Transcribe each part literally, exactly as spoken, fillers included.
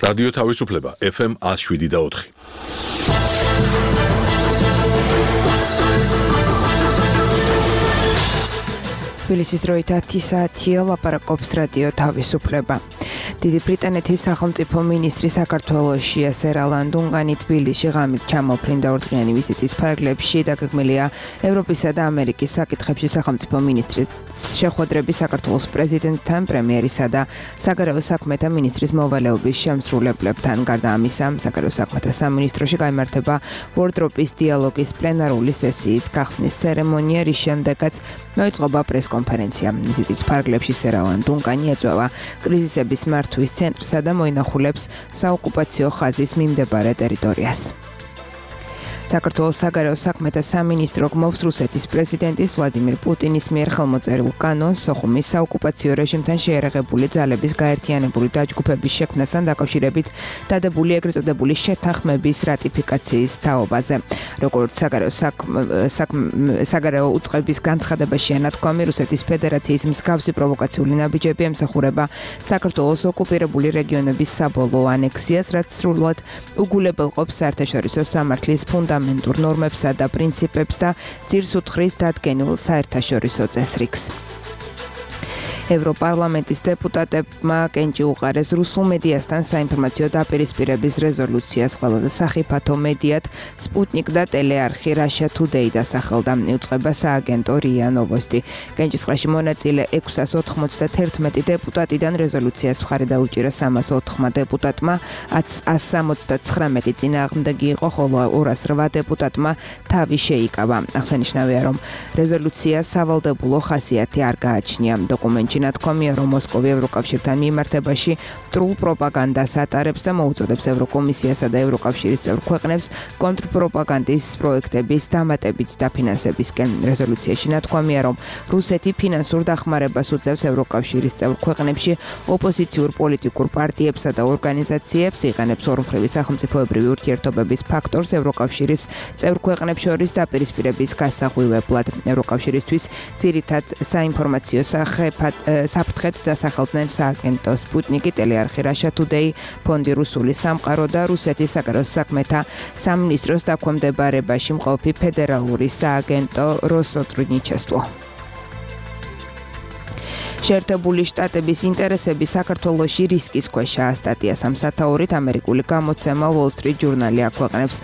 რადიო თავისუფლება ეფ ემ ათს შვიდი და ოთხი. თბილისის დროით ათი საათია, ლაპარაკობს რადიო თავისუფლება. დიდი ბრიტანეთის სახელმწიფო მინისტრი საქართველოშია სერალან დუნგანი თბილისში ღამით ჩამოფრინდა ორდღიანი ვიზიტის ფარგლებში. დაგეგმილია ევროპისა და ამერიკის საკითხებში სახელმწიფო მინისტრის შეხვედრები საქართველოს პრეზიდენტთან, პრემიერისა და საგარეო საქმეთა მინისტრის მოვალეობის შემსრულებლებთან. გარდა ამისა, საგარეო საქმეთა სამინისტროში გაიმართება ვორდროპის დიალოგის პლენარული სესიის გახსნის ცერემონია, რის შემდეგაც მოიწყობა პრესკონფერენცია. ვიზიტის ფარგლებში სერალან დუნგანი ეწევა კრიზისების მართვის ცენტრსა და მოინახულებს საოკუპაციო ხაზის მიმდებარე ტერიტორიას. საქართველოს საგარეო საქმეთა სამინისტრო გმობს რუსეთის პრეზიდენტის ვლადიმირ პუტინის მიერ ხელმოწერილ კანონს სოხუმის საოკუპაციო რეჟიმთან შეერაღებული ძალების გაერთიანებული დაჯგუფების შექმნასთან დაკავშირებით დადებული ეგრეთ წოდებული შეთანხმების რატიფიკაციის თაობაზე. როგორც საგარეო საგარეო უწყების განცხადებაშია ნათქვამი, რუსეთის ფედერაციის მსგავსი პროვოკაციული ნაბიჯები ემსახურება საქართველოს ოკუპირებული რეგიონების საბოლოო ანექსიას, რაც სრულად უგულებელყოფს საერთაშორისო სამართლის ფუნდამენტს მენტურ ნორმებსა და პრინციპებს და ძირს უთხრის დადგენილ საერთაშორისო წესრიგს. ევროპარლამენტის დეპუტატებმა კენჭი უყარეს რუსულ მედიასთან საინფორმაციო დაპირისპირების რეზოლუციას. ყველაზე სახიფათო მედიად სპუტნიკ და ტელეარხი Russia Today დასახელდა. იუწყება სააგენტო რია ნოვოსტი. კენჭისყრაში მონაწილე ექვსას ოთხმოცდაათი დეპუტატიდან რეზოლუციას მხარი დაუჭირა სამას ოთხმა დეპუტატმა, ათს სამოცდაცხრამეტი წინააღმდეგი იყო, ხოლო ორას რვა დეპუტატმა თავი შეიკავა. აღსანიშნავია, რომ რეზოლუცია სავალდებულო ხასიათი არ გააჩნია. დოკუმენტში ნათქვამია, რომ მოსკოვი ევროკავშირთან მიმართებაში მტრულ პროპაგანდას ატარებს და მოუწოდებს ევროკომისიასა და ევროკავშირის წევრ ქვეყნებს კონტრპროპაგანდის პროექტების დამატებით დაფინანსებისკენ. რეზოლუციაში ნათქვამია, რომ რუსეთი ფინანსურ დახმარებას უწევს ევროკავშირის წევრ ქვეყნებში ოპოზიციურ პოლიტიკურ პარტიებსა და ორგანიზაციებს, იყენებს ორმხრივი სახელმწიფოებრივი ურთიერთობების ფაქტორს ევროკავშირის წევრ ქვეყნებს შორის დაპირისპირების გასაღვივებლად. ევროკავშირისთვის ძირითად საინფორმაციო სახეფად საფრთხეთ დასახელდნენ სააგენტო სპუტნიკი, ტელეარხი Russia Today, ფონდი რუსული სამყარო და რუსეთის საგარეო საქმეთა სამინისტროს დაქვემდებარებაში მყოფი ფედერალური სააგენტო როსოტრუდნიჩესტვო. შეერთებული შტატების ინტერესები საქართველოში რისკის ქვეშაა. სტატიას ამ სათაურით ამერიკული გამოცემა Wall Street Journal აქვეყნებს.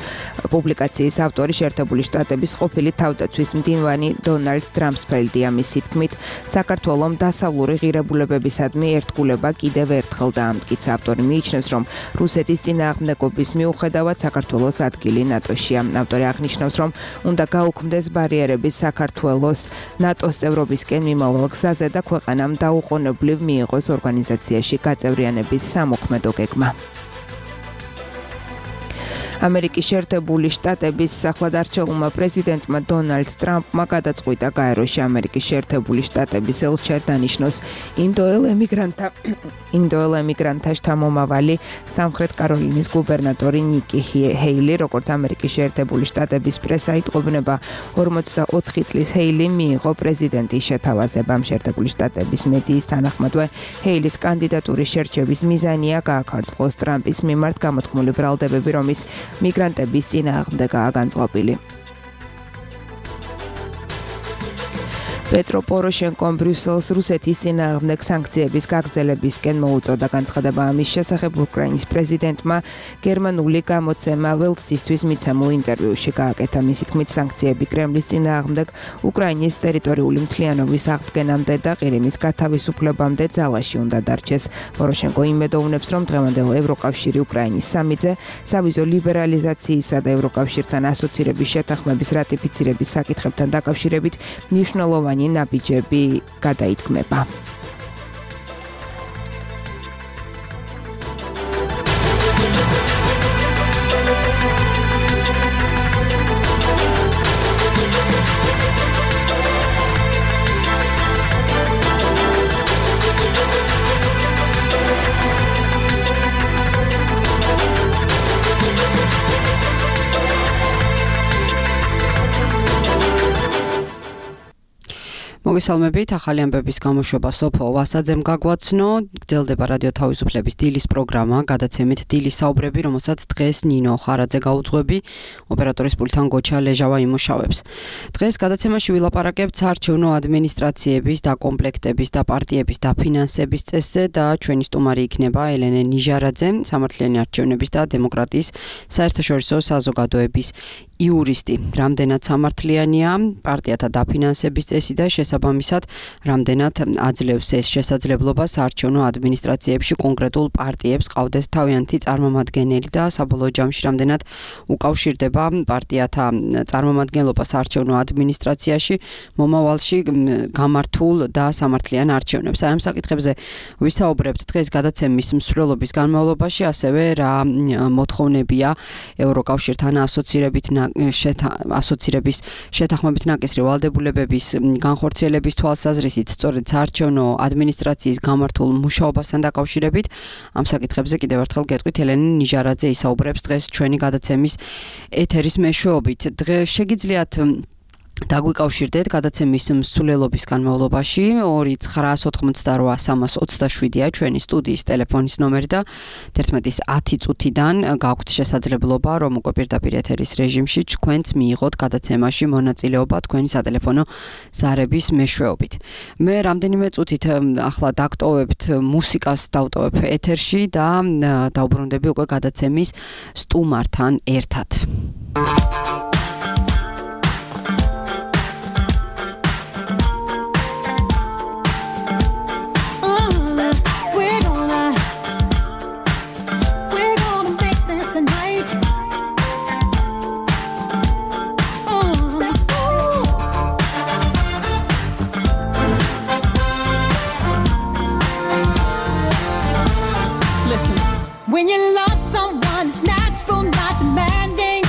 პუბლიკაციის ავტორი შეერთებული შტატების ყოფილი თავდაცვის მდივანი დონალდ ტრამსფელდია. მისი თქმით, საქართველომ დასავლური ღირებულებებისადმი ერთგულება კიდევ ერთხელ დაამტკიცა. ავტორი მიიჩნევს, რომ რუსეთის წინააღმდეგობის მიუხედავად საქართველოს ადგილი ნატოშია. ავტორი აღნიშნავს, რომ უნდა გაუქმდეს ბარიერები საქართველოს ნატოს წევრობისკენ მიმავალ გზაზე და ქვეყანა დაუყოვნებლივ მიიღოს ორგანიზაციაში გაწევრიანების სამოქმედო გეგმა. ამერიკის შეერთებული შტატების სახლად-არჩეულმა პრეზიდენტმა დონალდ ტრამპმა გადაწყვიტა გაეროში ამერიკის შეერთებული შტატების ელჩად დანიშნოს ინდოელ ემიგრანტთა ინდოელ ემიგრანტთა შთამომავალი სამხრეთ კაროლინის გუბერნატორი ნიკი ჰეილი. როგორც ამერიკის შეერთებული შტატების პრესა იტყობნება, ორმოცდაოთხი წლის ჰეილი მიიღო პრეზიდენტის შეთავაზებამ. შეერთებული შტატების მედიის თანახმადვე ჰეილის კანდიდატურის შერჩევის მიზანია გააქარწყლოს ტრამპის მიმართ გამოთქმული ბრალდებები, რომ ის მიგრანტების წინააღმდეგაა განწყობილი. პეტრო პოროშენკომ ბრიუსელს რუსეთის წინააღმდეგ სანქციების გაგრძელებისკენ მოუწოდა. განცხადება ამის შესახებ უკრაინის პრეზიდენტმა გერმანული გამოცემა ველსისთვის მიცემულ ინტერვიუში გააკეთა. მისი თქმით, სანქციები კრემლის წინააღმდეგ უკრაინის ტერიტორიული მთლიანობის აღდგენამდე და ყირიმის გათავისუფლებამდე ძალაში უნდა დარჩეს. პოროშენკო იმედოვნებს, რომ დღევანდელ ევროკავშირი უკრაინის სამიძე სავიზო ლიბერალიზაციისა და ევროკავშირთან ასოცირების შეთანხმების რატიფიცირების საკითხებთან დაკავშირებით მნიშვნელოვანი ნაბიჯები გადაითქმება. მოგესალმებით, ახალი ამბების გამოშვება სოფო ვასაძემ გაგვაცნო, გრძელდება რადიო თავისუფლების დილის პროგრამა, გადაცემით დილის საუბრები, რომელსაც დღეს ნინო ხარაძე გაუძღვები, ოპერატორის პულტთან გოჩა ლეჟავა იმუშავებს. დღეს გადაცემაში ვილაპარაკებთ საარჩევნო ადმინისტრაციების დაკომპლექტების და პარტიების დაფინანსების წესზე და ჩვენი სტუმარი იქნება ელენე ნიჟარაძე, სამართლიანი არჩევნების და დემოკრატიის საერთაშორისო საზოგადოების იურისტი. Რამდენად სამართლიანია პარტიათა დაფინანსების წესი და შესაბამისად რამდენად აძლევს ეს შესაძლებლობა საარჩევნო ადმინისტრაციებში კონკრეტულ პარტიებს ყავდეთ თავიანთი წარმომადგენელი და საბოლოო ჯამში რამდენად უკავშირდება პარტიათა წარმომადგენლობა საარჩევნო ადმინისტრაციაში მომავალში გამართულ და სამართლიან არჩევნებს. Აი ამ საკითხებზე ვისაუბრებთ დღეს გადაცემის მსვლელობის განმავლობაში, ასევე რა მოთხოვნებია ევროკავშირთან ასოცირებით ასოცირების შეთანხმებით ნაკისრი ვალდებულებების განხორციელების თვალსაზრისით სწორედ საარჩევნო ადმინისტრაციის გამართულ მუშაობასთან დაკავშირებით ამ საკითხებზე კიდევ ერთხელ გეტყვით ელენე ნიჟარაძე ისაუბრებს დღეს ჩვენი გადაცემის ეთერის მეშვეობით. დღეს შეგიძლიათ დაგვიკავშირდეთ გადაცემის მსვლელობის განმავლობაში ორი ცხრაას ოთხმოცდარვა სამას ოცდაშვიდია ჩვენი სტუდიის ტელეფონის ნომერი და თერთმეტის ათი წუთიდან გაქვთ შესაძლებლობა რომ უკვე პირდაპირ ეთერის რეჟიმში თქვენც მიიღოთ გადაცემაში მონაწილეობა თქვენი სატელეფონო ზარების მეშვეობით. მე რამდენიმე წუთით ახლა დაგტოვებთ მუსიკას დავტოვებ ეთერში და დავბრუნდები უკვე გადაცემის სტუმართან ერთად. When you love someone, it's natural, not demanding.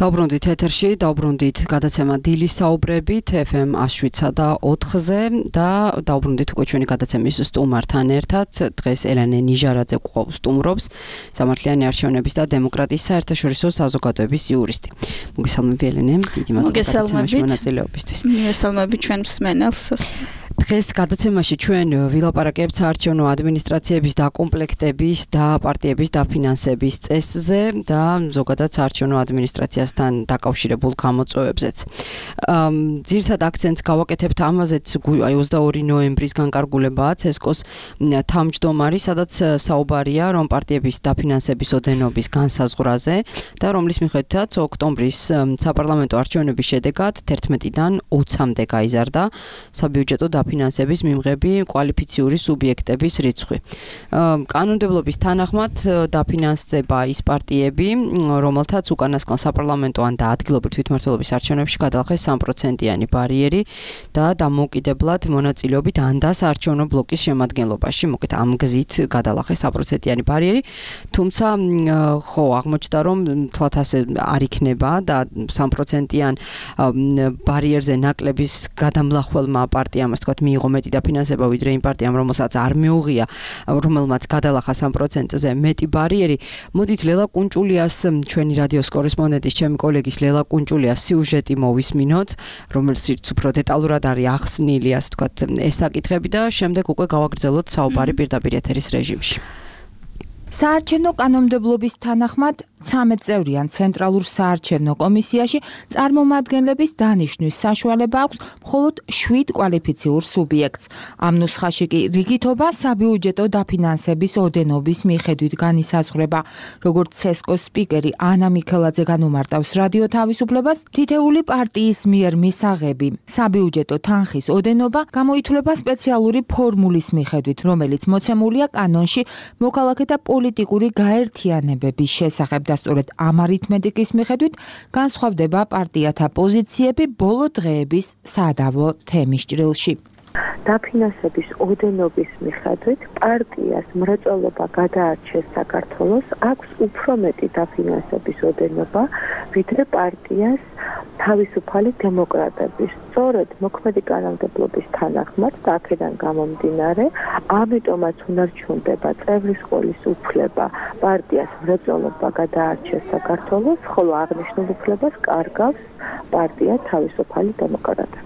დავბრუნდით ეთერში, დავბრუნდით გადაცემა დილის საუბრებით ეფ ემ one oh seven და ოთხზე და დავბრუნდით უკვე ჩვენი გადაცემის სტუმართან ერთად. დღეს ელენე ნიჟარაძე გვყავს სტუმრობს, სამართლიანი არჩევნების და დემოკრატიის საერთაშორისო საზოგადოების იურისტი. მოგესალმები ელენე, დიდი მადლობა გადაცემაში მონაწილეობისთვის. მოგესალმებით ჩვენ მსმენელს. დღეს გადაცემაში ჩვენ ვილაპარაკებთ საარჩევნო ადმინისტრაციების დაკომპლექტების და პარტიების დაფინანსების წესზე და ზოგადად საარჩევნო ადმინისტრაციასთან დაკავშირებულ გამოწვევებზეც. ძირითად აქცენტს გავაკეთებთ ამაზეც, აი ოცდაორი ნოემბრის განკარგულებაა ცესკოს თავმჯდომარი, სადაც საუბარია რომ პარტიების დაფინანსების ოდენობის განსაზღვრაზე და რომლის მიხედვითაც ოქტომბრის საპარლამენტო არჩევნების შედეგად თერთმეტიდან ოცამდე გაიზარდა საბიუჯეტო დაფინანსების მიმღები კვალიფიციური სუბიექტების რიცხვი. კანონმდებლობის თანახმად დაფინანსება ის პარტიები, რომელთაც უკანასკნელ საპარლამენტო ან და ადგილობრივ თვითმმართველობის არჩევნებში გადაახეს სამი პროცენტიანი ბარიერი და დამოუკიდებლად მონაწილეობით ან და საარჩევნო ბლოკის შემადგენლობაში, მოკეთ ამ გზით გადაახეს სამი პროცენტიანი ბარიერი, თუმცა ხო აღმოჩნდა რომ თლათ ასე არ იქნება და სამი პროცენტიან ბარიერზე ნაკლების გადამლახველმა პარტიამ ასე ვთქვათ მიიღო მეტი დაფინანსება ვიდრე იმ პარტიამ, რომელსაც არ მიუღია, რომელმაც გადალახა სამი პროცენტზე მეტი ბარიერი. მოდით ლელა კუნჭულიას, ჩვენი რადიოს კორესპონდენტის, ჩემი კოლეგის ლელა კუნჭულიას სიუჟეტი მოვისმინოთ, რომელშიც უფრო დეტალურად არის ახსნილი, ასე ვთქვათ, ეს საკითხები და შემდეგ უკვე გავაგრძელოთ საუბარი პირდაპირ ეთერის რეჟიმში. საარჩევნო კანონმდებლობის თანახმად ცამეტ წევრიან ცენტრალურ საარჩევნო კომისიაში წარმომადგენლების დანიშვნის საშუალება აქვს მხოლოდ შვიდ კვალიფიციურ სუბიექტს. ამ ნუსხაში კი რიგითობა საბიუჯეტო დაფინანსების ოდენობის მიხედვით განისაზღვრება. როგორც ცესკოს სპიკერი ანა მიქელაძე განუმარტავს რადიო თავისუფლებას, თითეული პარტიის მიერ მისაღები საბიუჯეტო თანხის ოდენობა გამოითვლება სპეციალური ფორმულის მიხედვით, რომელიც მოცემულია კანონში მოქალაქეთა პოლიტიკური გაერთიანებების შესახებ და სწორედ ამ არითმეტიკის მიხედვით განსხვავდება პარტიათა პოზიციები ბოლო დღეების სადავო თემის ჭრილში. დაფინანსების ოდენობის მიხედვით პარტიას მრეწველობა გადაარჩეს საქართველოს აქვს უფრო მეტი დაფინანსების ოდენობა ვიდრე პარტიას თავისუფალი დემოკრატების. სწორედ მოქმედი კანონმდებლობის თანახმად და აქედან გამომდინარე, ამიტომაც უნარჩუნდება წევრის ყოლის უფლება პარტიას მრეწველობა გადაარჩეს საქართველოს, ხოლო აღნიშნულ უფლებას კარგავს პარტია თავისუფალი დემოკრატები.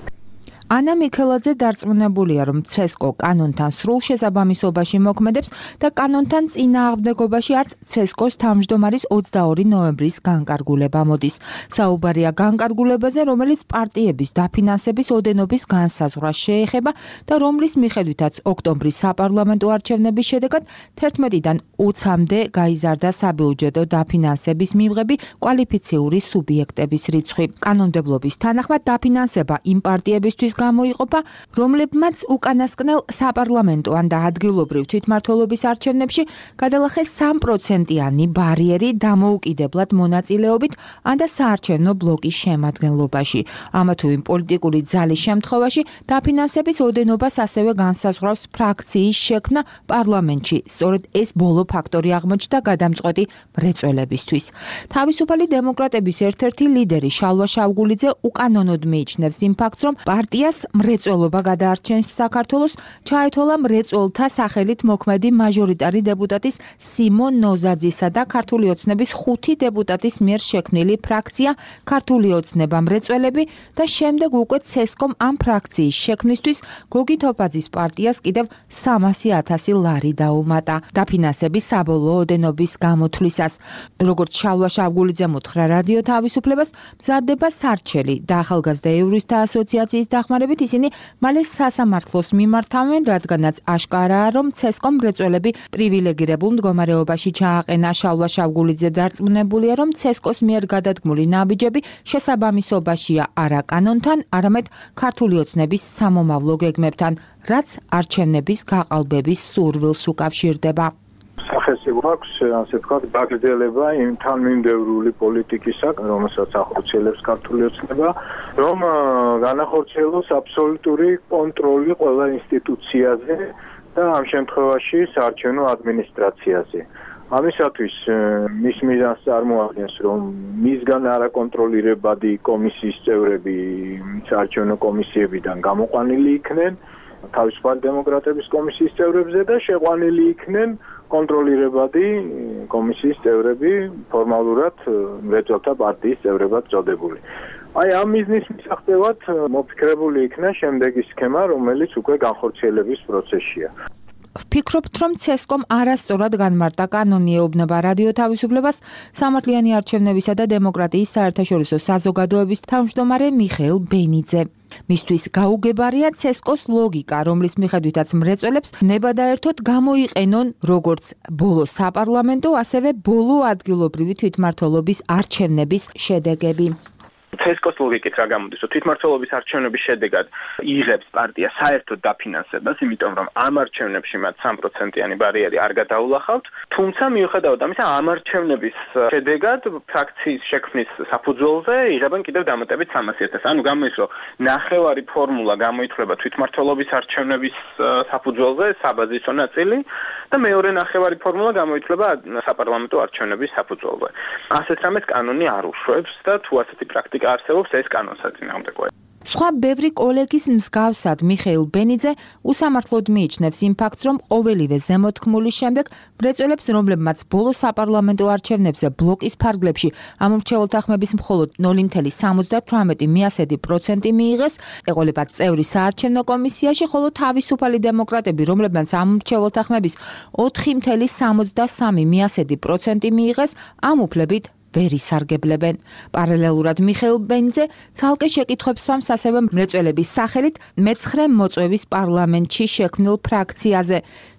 ანა მიქელაძე დარწმუნებულია, რომ ცესკო კანონთან სრულ შესაბამისობაში მოქმედებს და კანონთან წინააღმდეგობაში არც ცესკოს თავმჯდომარის ოცდაორი ნოემბრის განკარგულება მოდის. საუბარია განკარგულებაზე, რომელიც პარტიების დაფინანსების ოდენობის განსაზღვრას შეეხება და რომლის მიხედვითაც ოქტომბრის საპარლამენტო არჩევნების შედეგად თერთმეტიდან ოცამდე გაიზარდა საბიუჯეტო დაფინანსების მიმღები კვალიფიციური სუბიექტების რიცხვი. კანონმდებლობის თანახმად დაფინანსება იმ პარტიებისთვის გამოიყოფა, რომლებმაც უკანასკნელ საპარლამენტო ან და ადგილობრივ თვითმმართველობის არჩევნებში გადალახეს სამი პროცენტიანი ბარიერი დამოუკიდებლად მონაწილეობით ან და საარჩევნო ბლოკის შემადგენლობაში. ამა თუ იმ პოლიტიკური ძალის შემთხვევაში დაფინანსების ოდენობას ასევე განსაზღვრავს ფრაქციის შექმნა პარლამენტში. სწორედ ეს ბოლო ფაქტორი აღმოჩნდა გადამწყვეტი მრეწველებისთვის. თავისუფალი დემოკრატების ერთ-ერთი ლიდერი შალვა შავგულიძე უკანონოდ მიიჩნევს იმ ფაქტს, რომ პარტია მრეწველობა გადაარჩენს საქართველოს, ჩაეთვალა მრეწველთა სახელით მოქმედი მაჟორიტარი დეპუტატის სიმონ ნოზაძისა და ქართული ოცნების ხუთი დეპუტატის მიერ შექმნილი ფრაქცია ქართული ოცნება მრეწველები და შემდეგ უკვე ცესკომ ამ ფრაქციის შექმნისთვის გოგი თოფაძის პარტიას კიდევ სამასი ათასი ლარი დაუმატა დაფინანსების საბოლოო ოდენობის გამოთვლისას. როგორც შალვა შავგულიძემ უთხრა რადიო თავისუფლებას, მზადდება სარჩელი და ახალგაზრდა იურისტთა ასოციაციის დახმარებით ისინი მალე სასამართლოს მიმართავენ, რადგანაც აშკარაა, რომ ცესკომ მრეწველები პრივილეგირებულ მდგომარეობაში ჩააყენა. შალვა შავგულიძე დარწმუნებულია, რომ ცესკოს მიერ გადადგმული ნაბიჯები შესაბამისობაშია არა კანონთან, არამედ ქართული ოცნების სამომავლო გეგმებთან, რაც არჩევნების გაყალბების სურვილს უკავშირდება. სახელი გვაქვს, ასე ვთქვათ, გაგრძელება იმ თანმიმდევრული პოლიტიკისა, რომელსაც ახორციელებს ქართული ოცნება, რომ განახორციელოს აბსოლუტური კონტროლი ყველა ინსტიტუციაზე და ამ შემთხვევაში საარჩევნო ადმინისტრაციაზე. ამისათვის მის მიზანს წარმოადგენს, რომ მისგან არაკონტროლირებადი კომისიის წევრები საარჩევნო კომისიებიდან გამოყვანილი იქნენ თავისუფალი დემოკრატების კომისიის წევრებზე და შეყვანილი იქნენ კონტროლირებადი კომისიის წევრები ფორმალურად მრეწველთა პარტიის წევრებად წოდებული. აი ამ მიზნის მისაღწევად მოფიქრებული იქნა შემდეგი სქემა, რომელიც უკვე განხორციელების პროცესშია. ვფიქრობთ, რომ ცესკომ არასწორად განმარტა კანონი ეუბნება რადიო თავისუფლებას სამართლიანი არჩევნებისა და დემოკრატიის საერთაშორისო საზოგადოების თავმჯდომარე მიხეილ ბენიძე. მისთვის გაუგებარია ცესკოს ლოგიკა, რომლის მიხედვითაც მრეწველებს ნებადაერთოდ გამოიყენონ როგორც ბოლო საპარლამენტო, ასევე ბოლო ადგილობრივი თვითმმართველობის არჩევნების შედეგები. ცესკოს ლოგიკით რა გამოდის, რომ თვითმმართველობის არჩევნების შედეგად იღებს პარტია საერთოდ დაფინანსებას, იმიტომ რომ ამ არჩევნებში მათ სამი პროცენტიანი ბარიერი არ გადაულახავთ, თუმცა მიუხედავად ამისა, ამ არჩევნების შედეგად ფრაქციის შექმნის საფუძველზე იღებენ კიდევ დამატებით სამასი ათასი. ანუ გამოდის, რომ ნახევარი ფორმულა გამოითვლება თვითმმართველობის არჩევნების საფუძველზე, საბაზისო ნაწილი და მეორე ნახევარი ფორმულა გამოითვლება საპარლამენტო არჩევნების საფუძველზე. ასეთ რამეს კანონი არ უშვებს და თუ ასეთი პრაქტიკა არსებობს, ეს კანონსაწინააღმდეგოა. სხვა ბევრი კოლეგის მსგავსად მიხეილ ბენიძე უსამართლოდ მიიჩნევს იმ ფაქტს, რომ ყოველივე ზემოთქმულის შემდეგ მრეწველებს, რომლებმაც ბოლო საპარლამენტო არჩევნებზე ბლოკის ფარგლებში ამომრჩეველთა ხმების მხოლოდ ნული virgulă ოცდაოთხ მიასედი პროცენტი მიიღეს, ეყოლებათ წევრი საარჩევნო კომისიაში, ხოლო თავისუფალი დემოკრატები, რომლებმაც ამომრჩეველთა ხმების ოთხი virgulă სამოცდასამი მიასედი პროცენტი მიიღეს, ამ უფლებით ვერ ისარგებლებენ. პარალელურად მიხეილ ბენიძე ცალკე შეკითხვებს სვამს ასევე მრეწველების სახელით მეცხრე მოწვევის პარლამენტში შექმნილ ფრაქციაზე.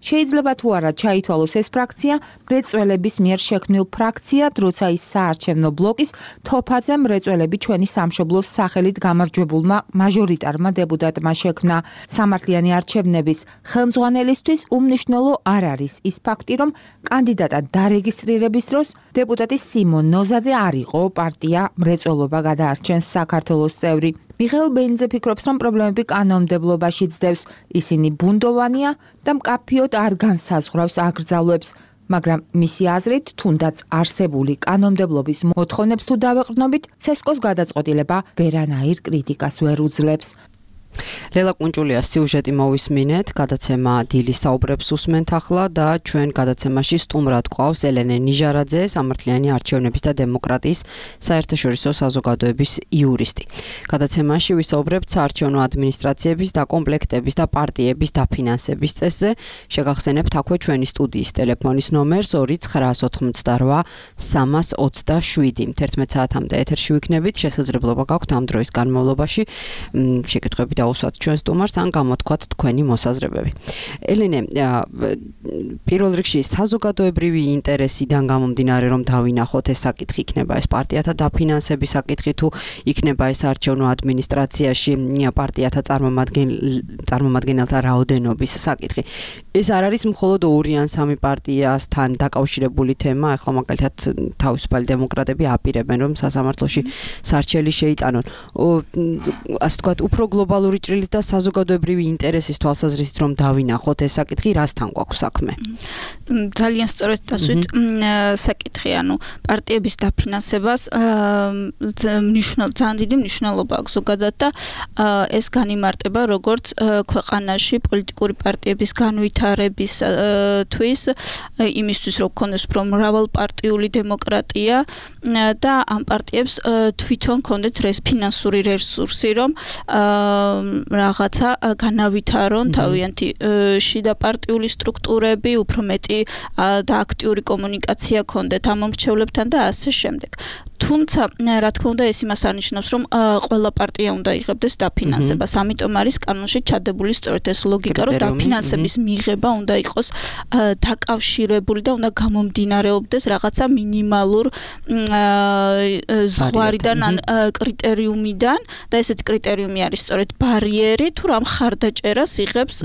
შეიძლება თუ არა ჩაითვალოს ეს ფრაქცია მრეწველების მიერ შექმნილ ფრაქციად, როცა ის საარჩევნო ბლოკის თოფაძე მრეწველები ჩვენი სამშობლოს სახელით გამარჯვებულმა მაჟორიტარმა დეპუტატმა შექმნა. სამართლიანი არჩევნების ხელმძღვანელისთვის უმნიშვნელო არ არის ის ფაქტი, რომ კანდიდატად დარეგისტრირების დროს დეპუტატი სიმონ ნოზაძე არ იყო პარტია მრეწველობა გადაარჩენს საქართველოს წევრი. მიხეილ ბენიძე ფიქრობს, რომ პრობლემები კანონმდებლობაში ძდევს, ისინი ბუნდოვანია და მკაფიოდ არ განსაზღვრავს აკრძალვებს, მაგრამ მისი აზრით, თუნდაც არსებული კანონმდებლობის მოთხოვნებს თუ დავეყრდნობით, ცესკოს გადაწყვეტილება ვერანაირ კრიტიკას ვერ უძლებს. ლელა კუნჭულიას სიუჟეტი მოვისმინეთ, გადაცემა დილის საუბრებს უსმენთ ახლა და ჩვენ გადაცემაში სტუმრად გვყავს ელენე ნიჟარაძე, სამართლიანი არჩევნების და დემოკრატიის საერთაშორისო საზოგადოების იურისტი. გადაცემაში ვისაუბრებთ საარჩევნო ადმინისტრაციების დაკომპლექტების და პარტიების დაფინანსების წესზე. შეგახსენებთ აქვე ჩვენი სტუდიის ტელეფონის ნომერს ორი ცხრაას ოცდაოთხ სამას ოცდაშვიდი. თერთმეტ საათამდე ეთერში ვიქნებით, შესაძლებლობა გაქვთ ამ დროის განმავლობაში შეკითხვები დაუსვათ ჩვენ სტუმარს ან გამოთქვათ თქვენი მოსაზრებები. ელენე, პირველ რიგში საზოგადოებრივი ინტერესიდან გამომდინარე, რომ დავინახოთ ეს საკითხი, იქნება ეს პარტიათა დაფინანსების საკითხი, თუ იქნება ეს არჩევნო ადმინისტრაციაში პარტიათა წარმომადგენელთა რაოდენობის საკითხი. ეს არ არის მხოლოდ ორი ან სამი პარტიასთან დაკავშირებული თემა, ახლა მაგალითად თავისუფალი დემოკრატები აპირებენ, რომ სასამართლოში სარჩელი შეიტანონ. ასე ვთქვათ, უფრო გლობალური ჭრილით და საზოგადოებრივი ინტერესის თვალსაზრისით რომ დავინახოთ ეს საკითხი, რასთან გვაქვს საქმე? ძალიან სწორედ დასვით საკითხი, ანუ პარტიების დაფინანსებას მნიშვნელოვანი ძალიან დიდი მნიშვნელობა აქვს ზოგადად და ეს განიმარტება როგორც ქვეყანაში პოლიტიკური პარტიების განვითარებისთვის, იმისთვის რომ ქონდეს უფრო მრავალპარტიული დემოკრატია და ამ პარტიებს თვითონ ქონდეთ ფინანსური რესურსი, რომ რაღაცა განავითარონ თავიანთი შიდა პარტიული სტრუქტურები, უფრო მეტი და აქტიური კომუნიკაცია ქონდეთ ამ მომრჩევლებთან და ასე შემდეგ. თუმცა, რა თქმა უნდა, ეს იმას არნიშნავს, რომ ყველა პარტია უნდა იღებდეს დაფინანსებას. ამიტომ არის კანონში ჩადებული სწორედ ეს ლოგიკა, რომ დაფინანსების მიღება უნდა იყოს დაკავშირებული და უნდა გამომდინარეობდეს რაღაცა მინიმალურ ზღვარიდან ან კრიტერიუმიდან და ესეთი კრიტერიუმი არის სწორედ ბარიერი, თუ რა მხარდაჭერას იღებს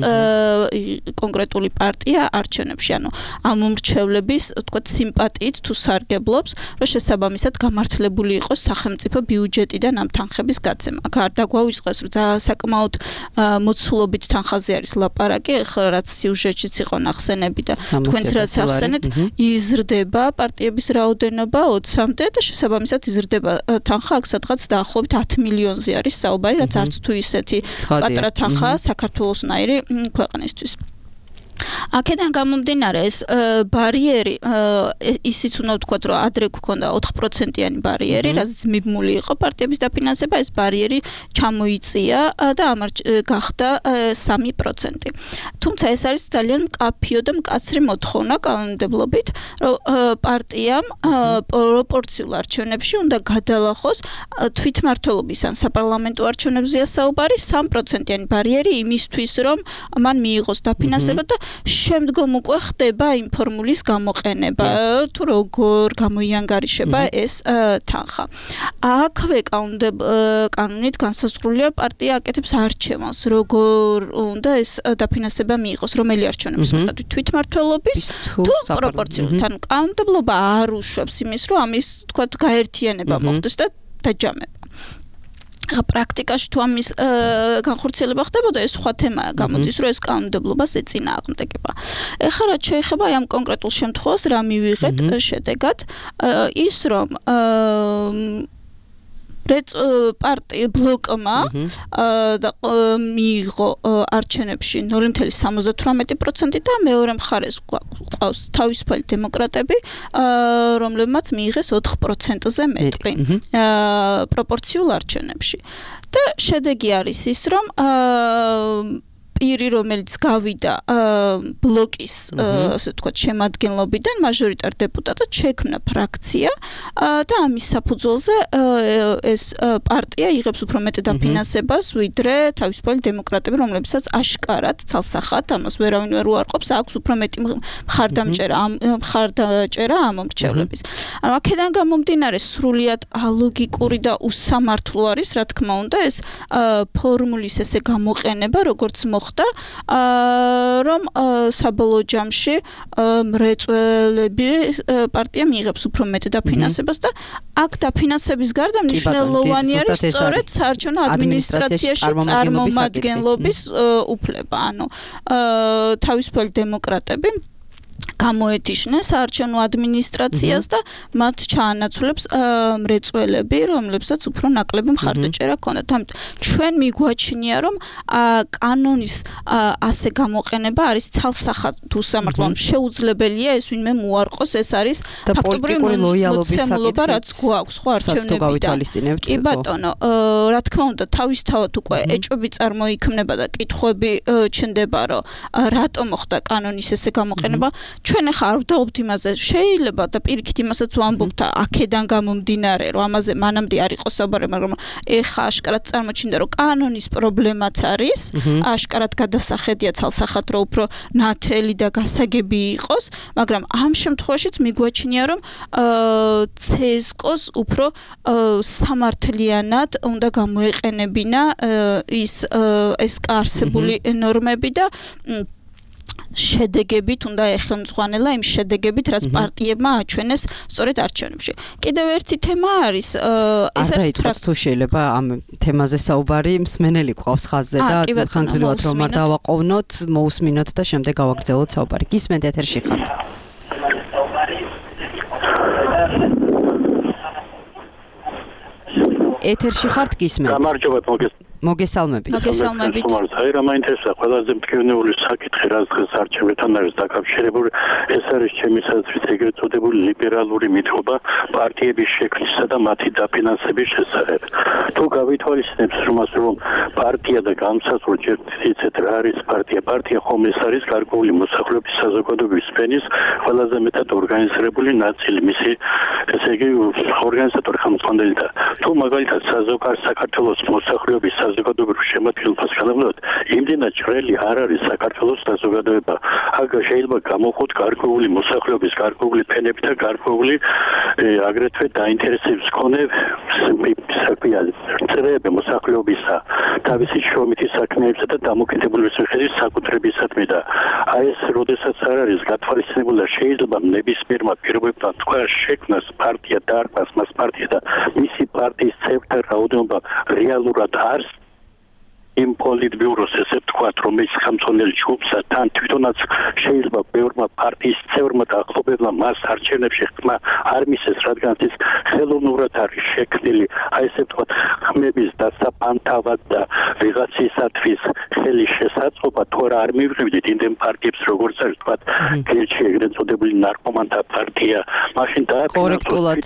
კონკრეტული პარტია არჩევნებში. ანუ ამ მომრჩევლების, თქვათ, სიმპათიით თუ სარგებლობს, რომ შესაბამისად გამართლება მიმართლებული იყოს სახელმწიფო ბიუჯეტიდან ამ თანხების გაცემა. აქ არ დაგვაუწყეს, რომ საკმაოდ მოცულობით თანხაზე არის ლაპარაკი, ახლა რაც სიუჟეტშიც იყო ნახსენები და თქვენც რაც ახსენეთ, იზრდება პარტიების რაოდენობა ოცამდე და შესაბამისად იზრდება თანხა, აქ სადღაც დაახლოებით ათი მილიონზე არის საუბარი, რაც არც თუ ისეთი პატარა თანხაა საქართველოსნაირი ქვეყნისთვის. აქედან გამომდინარე ეს ბარიერი ისიც უნდა ვთქვათ რომ ადრე გქონდა ოთხ პროცენტიანი ბარიერი, რაც მიბმული იყო პარტიების დაფინანსება, ეს ბარიერი ჩამოიწია და ამარ გახდა სამი პროცენტი. თუმცა ეს არის ძალიან მკაფიო და მკაცრი მოთხოვნა კანონმდებლობით, რომ პარტიამ პროპორციულ არჩევნებში უნდა გადალახოს თვითმმართველობის ან საპარლამენტო არჩევნებზეა საუბარი სამი პროცენტიანი ბარიერი იმისთვის, რომ მან მიიღოს დაფინანსება და შემდგომ უკვე ხდება იმ ფორმულის გამოყენება, თუ როგორ გამოიანგარიშება ეს თანხა. აქვე კანონით განსაზღვრულია პარტია აკეთებს არჩევანს, როგორ უნდა ეს დაფინანსება მიიღოს, რომელი არჩევნების მიხედვით თვითმმართველობის თუ პროპორციულად. ანუ კანონმდებლობა არ უშვებს იმის, რომ ამის თქვათ გაერთიანება მოხდეს და დაჯამება. პრაქტიკაში თუ ამის განხორციელება ხდებოდა, ეს სხვა თემაა, გამოდის, რომ ეს კანონმდებლობას ეწინააღმდეგება. ეხლა რაც შეეხება ამ კონკრეტულ შემთხვევას, რა მივიღეთ შედეგად, ის რომ პარტია ბლოკმა და მიიღო არჩევნებში ნული virgulă სამოცდათვრამეტი პროცენტი და მეორე მხარეს ყავს თავისუფალი დემოკრატები, რომლებმაც მიიღეს ოთხ პროცენტზე მეტი პროპორციულ არჩევნებში. და შედეგი არის ის, რომ პირი, რომელიც გავიდა ბლოკის, ასე ვთქვათ, შემადგენლობიდან, მაჟორიტარ დეპუტატად შექმნა ფრაქცია და ამის საფუძველზე ეს პარტია იღებს უფრო მეტ დაფინანსებას, ვიდრე თავისუფალი დემოკრატები, რომლებსაც აშკარად ცალსახად ამას ვერავინ ვერ უარყოფს, აქვს უფრო მეტი მხარდამჭერა მხარდაჭერა ამ მრჩევლების. ანუ აქედან გამომდინარე სრულიად ალოგიკური და უსამართლო არის, რა თქმა უნდა, ეს ფორმულის ესე გამოყენება, როგორც მოხდა რომ საბოლოო ჯამში მრეწველები პარტია მიიღებს უფრო მეტ დაფინანსებას და აქ დაფინანსების გარდა მნიშვნელოვანი არის სწორედ საარჩევნო ადმინისტრაციაში წარმომადგენლობის უფლება. ანუ თავისუფალი დემოკრატები გამოეთიშნენ საარჩევნო ადმინისტრაციას და მათ ჩაანაცვლებს მრეწველები, რომლებსაც უფრო ნაკლები მხარდაჭერა ჰქონდათ. ამიტომ ჩვენ მიგვაჩნია, რომ კანონის ასე გამოყენება არის ცალსახად უსამართლო, შეუძლებელია ეს ვინმე მოარყოს, ეს არის ფაქტობრივი მოცემულობა, რაც გვაქვს ხო არჩევნებიდან. კი ბატონო, რა თქმა უნდა, თავისთავად უკვე ეჭვები წარმოიქმნება და კითხვები ჩნდება, რომ რატომ მოხდა კანონის ესე გამოყენება. ჩვენ ახლა არ ვდაობთ იმაზე, შეიძლება და პირიქით იმასაც ვამბობთ აქედან გამომდინარე, რომ ამაზე მანამდე არ იყო საუბარი, მაგრამ ეხლა აშკარად წარმოჩინდა, რომ კანონის პრობლემაც არის, აშკარად გადასახედია ცალსახად, რომ უფრო ნათელი და გასაგები იყოს, მაგრამ ამ შემთხვევაშიც მიგვაჩნია, რომ ცესკოს უფრო სამართლიანად უნდა გამოეყენებინა ის ეს არსებული ნორმები და შედეგებით უნდა ეხელმძღვანელა იმ შედეგებით, რაც პარტიებმა აჩვენეს სწორედ არჩევნებში. კიდევ ერთი თემა არის, ეს არის თუ შეიძლება ამ თემაზე საუბარი მსმენელი გვყავს ხაზზე და ხანგრძლივად რომ არ დავაყოვნოთ, მოусმინოთ და შემდეგ გავაგრძელოთ საუბარი. გისმენთ, ეთერში ხართ. ეთერში ხართ, გისმენთ. გამარჯობათ, მოგესალმებით. მოგესალმებით. მოგესალმებით. აი რა მაინტერესა, ყველაზე მტკივნეული საკითხი, რაც დღეს არჩევნებთან არის დაკავშირებული, ეს არის ჩემი საზრით ეგრეთ წოდებული ლიბერალური მითხრობა პარტიების შექმნისა და მათი დაფინანსების შესახებ. თუ გავითვალისწინებთ იმას, რომ პარტია და განსაზღვრა ჯერ იცით რა არის პარტია, პარტია ხომ ეს არის გარკვეული მოსახლეობის საზოგადოების სფერის ყველაზე მეტად ორგანიზებული ნაწილი, მისი ესე იგი ორგანიზატორი ხელმძღვანელი და თუ მაგალითად საზოგადო საქართველოს მოსახლეობის საზოგადოებრივ შემადგენლობას განავლოთ, იმდენად ჭრელი არ არის საქართველოს საზოგადოება. აქ შეიძლება გამოხოთ გარკვეული მოსახლეობის, გარკვეული ფენები და გარკვეული აგრეთვე დაინტერესების მქონე წრეები მოსახლეობისა, თავისი შრომითი საქმეებისა და დამოკიდებულების მიხედვით საკუთრებისადმი და აი ეს როდესაც არ არის გათვალისწინებული და შეიძლება ნებისმიერმა პირობებთან თქვა შექმნას პარტია დაარქვას მას პარტია და მისი პარტიის წევრთა რაოდენობა რეალურად არის იმ პოლიტბიუროს ესე ვთქვათ, რომელიც ხელმძღვანელი ჯგუფსა თან თვითონაც შეიძლება ბევრმა პარტიის წევრმა და ახლობელმა მას არჩევნებში ხმა არ მისცეს, რადგან ის ხელოვნურად არის შექმნილი, აი ესე ვთქვათ, ხმების დასაფანთავად და ვიღაცისათვის ხელის შესაძლებლობა თუ არ მივიღებდით იმდენ პარტიებს, როგორც არის ვთქვათ, გერჩი ეგრეთ წოდებული ნარკომანთა პარტია, მაშინ დააკორექტულად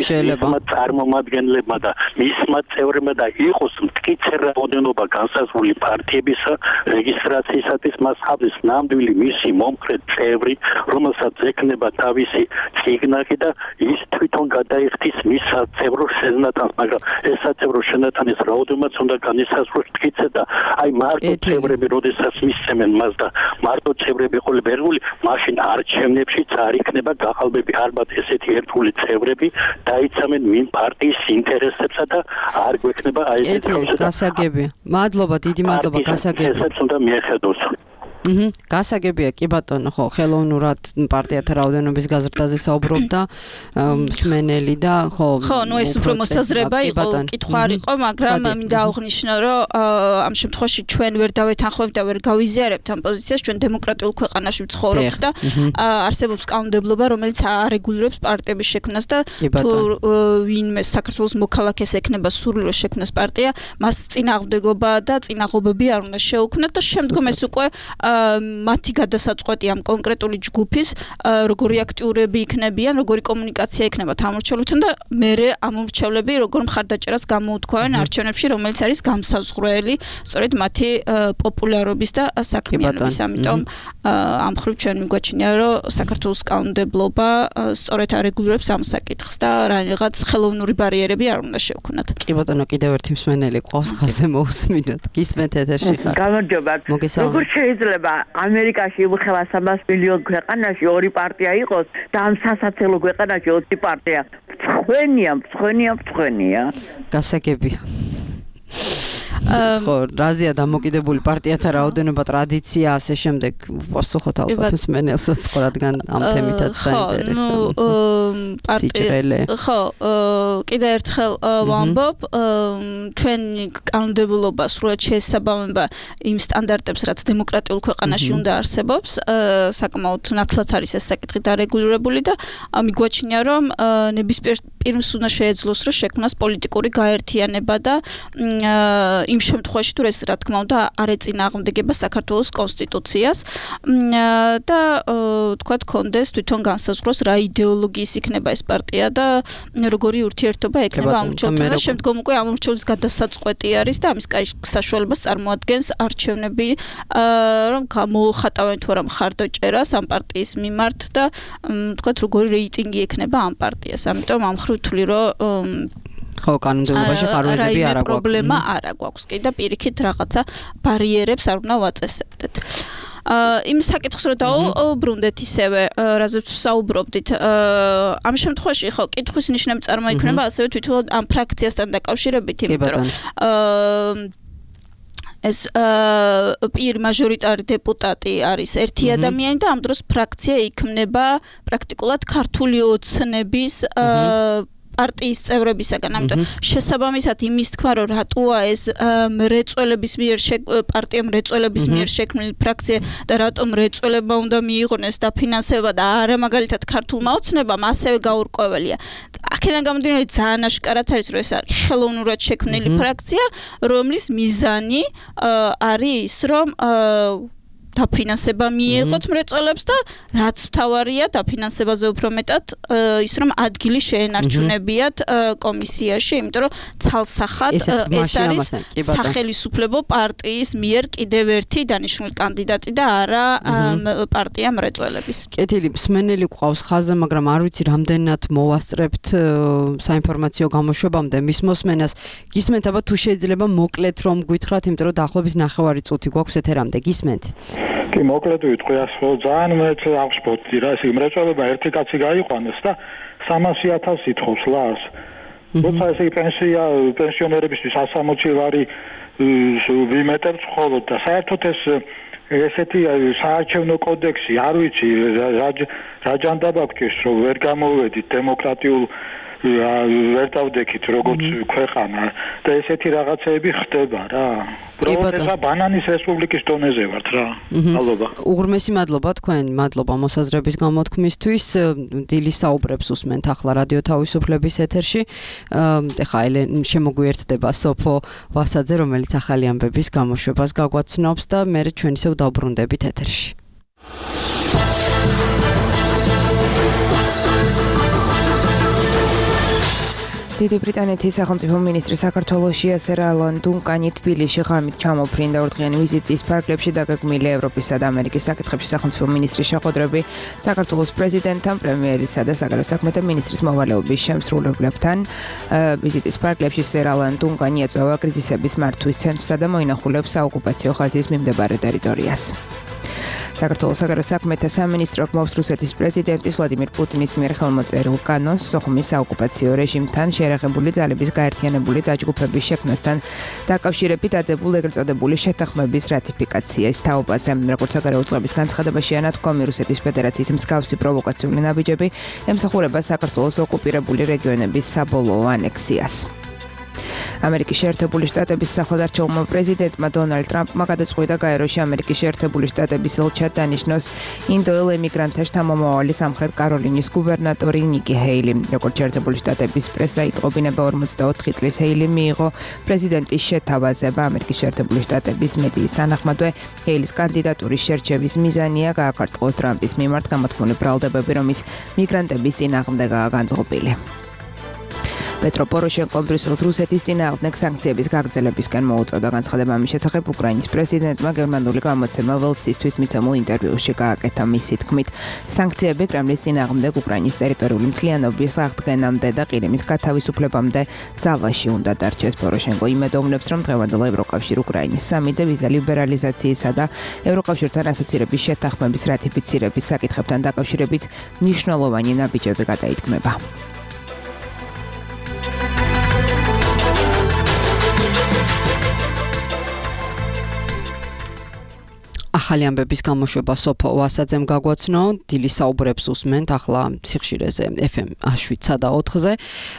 შეიძლება წარმომადგენლებმა და მისმა წევრებმა და იყოს მტკიცე რაოდენობა განსაზღვრული პარტიებისა რეგისტრაციისათვის მას ხავდეს ნამდვილი მისი მომხრე წევრი, რომელსაც ექნება თავისი ციგნაკი და ის თვითონ გადაიხდის მის საწევრო შენატანს, მაგრამ ეს საწევრო შენატანის რაოდენობაც უნდა განისაზღვროს მტკიცე და აი მარტო წევრები როდესაც მისცემენ მას და მარტო წევრები ყოლებ ერგული, მაშინ არჩევნებშიც არ იქნება გახალბები ალბათ ესეთი ერთგული წევრები დაიცამენ მინ პარტიის ინტერესებსა და არ გვექნება აი ეს გასაგებია. მადლობა, დიდი მადლობა, გასაგებია. ესეც უნდა მიეხედოს. აჰა, გასაგებია, კი ბატონო, ხო, ხელოვნურად პარტიათა რაოდენობის გაზრდაზე საუბრობდა მსმენელი და ხო. ხო, ნუ ეს უფრო მოსაზრება იყო, კითხვა არ იყო, მაგრამ მინდა აღვნიშნო, რომ ამ შემთხვევაში ჩვენ ვერ დავეთანხმებთ და ვერ გავიზიარებთ ამ პოზიციას, ჩვენ დემოკრატიულ ქვეყანაში ვცხოვრობთ და არსებობს კანონმდებლობა, რომელიც არეგულირებს პარტიების შექმნას და თუ ვინმე საქართველოს მოქალაქეს ექნება სურვილი შექმნას პარტია, მას წინააღმდეგობა და წინაღობები არ უნდა შეუქმნათ და შემდგომ ეს უკვე მათი გადასაწყვეტი ამ კონკრეტული ჯგუფის როგორი აქტიურები იქნებიან, როგორი კომუნიკაცია იქნება ამორჩეულებთან და მერე ამორჩეულები როგორ მხარდაჭერას გამოუთქვენ არჩევნებში, რომელიც არის გამსაზღვრელი სწორედ მათი პოპულარობის და საქმიანობის. ამიტომ ამ მხრივ ჩვენ მიგვაჩნია, რომ საქართველოს კანონმდებლობა სწორედ არეგულირებს ამ საკითხს და რაღაც ხელოვნური ბარიერები არ უნდა შევქმნათ. კი ბატონო, კიდევ ერთი მსმენელი ყავს ხაზზე მოусმინოთ. გისმენთ ეთერში ხარ. გამარჯობათ. როგორ შეიძლება ამერიკაში იმხელა სამას მილიონ ქვეყანაში ორი პარტია იყოს და ამ სასაცილო ქვეყანაში ოცი პარტია. მწხვენია, მწხვენია, მწხვენია. გასაგებია. ხო, რაზეა დამოკიდებული პარტიათა რაოდენობა, ტრადიცია, ასე შემდეგ. პასუხოთ ალბათ მსმენელსაც, რადგან ამ თემითაც დაინტერესდა. პარტია. ხო, კიდე ერთხელ ვამბობ, ჩვენი კანონმდებლობა სრულად შეესაბამება იმ სტანდარტებს, რაც დემოკრატიულ ქვეყანაში უნდა არსებობს. საკმაოდ ნათლად არის ეს საკითხი დარეგულირებული და მიგვაჩნია, რომ ნებისმიერ პირს უნდა შეეძლოს, რომ შექმნას პოლიტიკური გაერთიანება და იმ შემთხვევაში თუ ეს რა თქმა უნდა არ ეწინააღმდეგება საქართველოს კონსტიტუციას და თქვა კონდეს თვითონ განსაზღვროს რა იდეოლოგიის იქნება ეს პარტია და როგორი ურთიერთობა ექნება ამორჩეულთან და შემდგომ უკვე ამორჩეულის გადასაწყვეტი არის და ამის საშუალებას წარმოადგენს არჩევნები რომ გამოხატავენ თუ არა მხარდაჭერას ამ პარტიის მიმართ და თქვა როგორი რეიტინგი ექნება ამ პარტიას. ამიტომ ამ მხრივ ვთვლი რომ ხო, კანონმდებლობაში ხარვეზები არ აქვს. პრობლემა არ აქვს. კი და პირიქით რაღაცა ბარიერებს არ უნდა ვაწესებდეთ. იმ საკითხს რომ დაუბრუნდეთ ისევე, რაზეც საუბრობდით, ამ შემთხვევაში ხო, კითხვის ნიშნები წარმოიქმნება ასევე თვითონ ამ ფრაქციასთან დაკავშირებით, იმიტომ რომ ეს პირ მაჟორიტარი დეპუტატი არის ერთი ადამიანი და ამ დროს ფრაქცია იქმნება პრაქტიკულად ქართული ოცნების პარტიის წევრებისაგან. ამიტომ შესაბამისად იმის თქვა, რომ რატოა ეს მრეწველების მიერ პარტია მრეწველების მიერ შექმნილი ფრაქცია და რატომ მრეწველებმა უნდა მიიღონეს დაფინანსება და არა მაგალითად ქართულმა ოცნებამ, ასევე გაურკვეველია. აქედან გამომდინარე ძალიან აშკარად არის, რომ ეს არის ხელოვნურად შექმნილი ფრაქცია, რომლის მიზანი არის ის, რომ დაფინანსება მიიღოთ მრეწველებს და რაც მთავარია დაფინანსებაზე უფრო მეტად ის რომ ადგილი შეენარჩუნებიათ კომისიაში, იმიტომ რომ ცალსახად ეს არის სახელმწიფო პარტიის მიერ კიდევ ერთი დანიშნული კანდიდატი და არა პარტია მრეწველების. კეთილი, მსმენელი გვყავს ხაზზე, მაგრამ არ ვიცი რამდენად მოვასწრებთ საინფორმაციო გამოშვებამდე მის მოსმენას. გისმენთ აბა თუ შეიძლება მოკლედ რომ გვითხრათ, იმიტომ რომ დაახლოებით ნახევარი წუთი გვაქვს ეთერამდე. გისმენთ? კი, მოკლედ ვიტყვი ასე, ძალიან მეც აღშფოთდი რა, ესე მრეწველობა ერთი კაცი გაიყვანეს და სამასი ათასი ითხოვს ლარს. როცა ესე პენსია პენსიონერებისთვის ასამოცი ლარი ვიმეტებთ მხოლოდ და საერთოდ ეს ესეთი საარჩევნო კოდექსი, არ ვიცი რა ჯანდაბა გქეს, რომ ვერ გამოვედით დემოკრატიულ ვერ დავდექით როგორც ქვეყანა და ესეთი რაღაცეები ხდება რა. პროცესა ბანანის რესპუბლიკის დონეზე ვართ რა. მადლობა. უღრმესი მადლობა თქვენ, მადლობა მოსაზრების გამოთქმისთვის. დილის საუბრებს უსმენთ ახლა რადიო თავისუფლების ეთერში. ეხლა შემოგვიერთდება სოფო ვასაძე, რომელიც ახალი ამბების გამოშვებას გაგვაცნობს და მე ჩვენ ისევ დავბრუნდებით ეთერში. დიდი ბრიტანეთის სახელმწიფო მინისტრი საქართველოში სერალან დუნკანი თბილისში ღამით ჩამოფრინდა ორდღიანი ვიზიტის ფარგლებში დაგეგმილი ევროპისა და ამერიკის საკითხებში სახელმწიფო მინისტრის შეხვედრები საქართველოს პრეზიდენტთან, პრემიერისა და საგარეო საქმეთა მინისტრის მოვალეობის შემსრულებლებთან. ვიზიტის ფარგლებში სერალან დუნკანი ეწევა კრიზისების მართვის ცენტრსა და მოინახულებს საოკუპაციო ხაზის მიმდებარე ტერიტორიას. საქართველოს საგარეო საქმეთა სამინისტრო გმობს რუსეთის პრეზიდენტის ვლადიმირ პუტინის მიერ ხელმოწერილ კანონს სოხუმის საოკუპაციო რეჟიმთან შეერაღებული ძალების გაერთიანებული დაჯგუფების შექმნასთან დაკავშირებით დადებულ ეგრეთ წოდებული შეთანხმების რატიფიკაციის თაობაზე. როგორც საგარეო უწყების განცხადებაში ანათქვამი რუსეთის ფედერაციის მსგავსი პროვოკაციული ნაბიჯები ემსახურება საქართველოს ოკუპირებული რეგიონების საბოლოო ანექსიას. ამერიკის შეერთებული შტატების სახელმწიფო პრეზიდენტმა დონალდ ტრამპმა გადაწყვიტა გაეროში ამერიკის შეერთებული შტატების ელჩად დანიშნოს ინდოელ ემიგრანტთა შთამომავალი სამხრეთ კაროლინის გუბერნატორი ნიკი ჰეილი. როგორც შეერთებული შტატების პრესა იტყობინება ორმოცდაოთხი წლის ჰეილი მიიღო პრეზიდენტის შეთავაზება. ამერიკის შეერთებული შტატების მედიის თანახმადვე ჰეილის კანდიდატურის შერჩევის მიზანია გააკარწყოს ტრამპის მიმართ გამოთქმული ბრალდებები, რომის მიგრანტების წინააღმდეგაა განწყობილი. პეტრო პოროშენკომ ბრიუსელს რუსეთის წინააღმდეგ სანქციების გაგრძელებისკენ მოუწოდა. განცხადება ამის შესახებ უკრაინის პრეზიდენტმა გერმანული გამოცემა ველსისთვის მიცემულ ინტერვიუში გააკეთა. მისი თქმით, სანქციები კრემლის წინააღმდეგ უკრაინის ტერიტორიული მთლიანობის აღდგენამდე და ყირიმის გათავისუფლებამდე ძალაში უნდა დარჩეს. პოროშენკო იმედოვნებს, რომ დღევანდელ ევროკავშირ უკრაინის სამიძე ვიზა ლიბერალიზაციისა და ევროკავშირთან ასოცირების შეთანხმების რატიფიცირების საკითხებთან დაკავშირებით მნიშვნელოვანი ნაბიჯები გადაითქმება. ახალი ამბების გამოშვება სოფო ვასაძემ გაგვაცნო, დილის საუბრებს უსმენთ ახლა სიხშირეზე ეფ ემ შვიდსა და ოთხზე.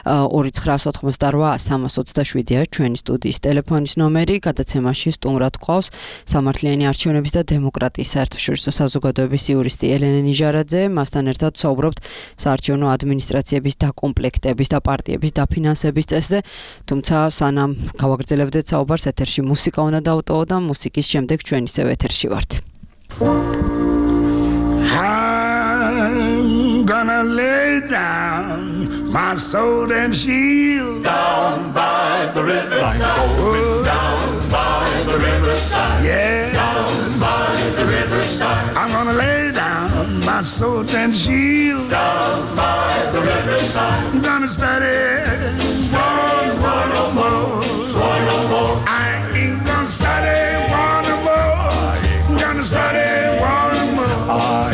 ორი ცხრაას ოთხმოცდაოთხ სამას ოცდაშვიდია ჩვენი სტუდიის ტელეფონის ნომერი, გადაცემაში სტუმრად გვყავს სამართლიანი არჩევნების და დემოკრატიის საერთაშორისო საზოგადოების იურისტი ელენე ნიჟარაძე. მასთან ერთად ვსაუბრობთ საარჩევნო ადმინისტრაციების დაკომპლექტების და პარტიების დაფინანსების წესზე. თუმცა სანამ გავაგრძელებდეთ საუბარს, ეთერში მუსიკა უნდა დავტოვო და მუსიკის შემდეგ ჩვენ ისევ ეთერში ვართ. I'm gonna lay down my sword and shield down by the riverside. Oh, down by the riverside. Yeah, down by the riverside. I'm gonna lay down my sword and shield down by the riverside. I'm gonna study one, one or more, one or more. I ain't gonna study one or more. I'm gonna study one or more.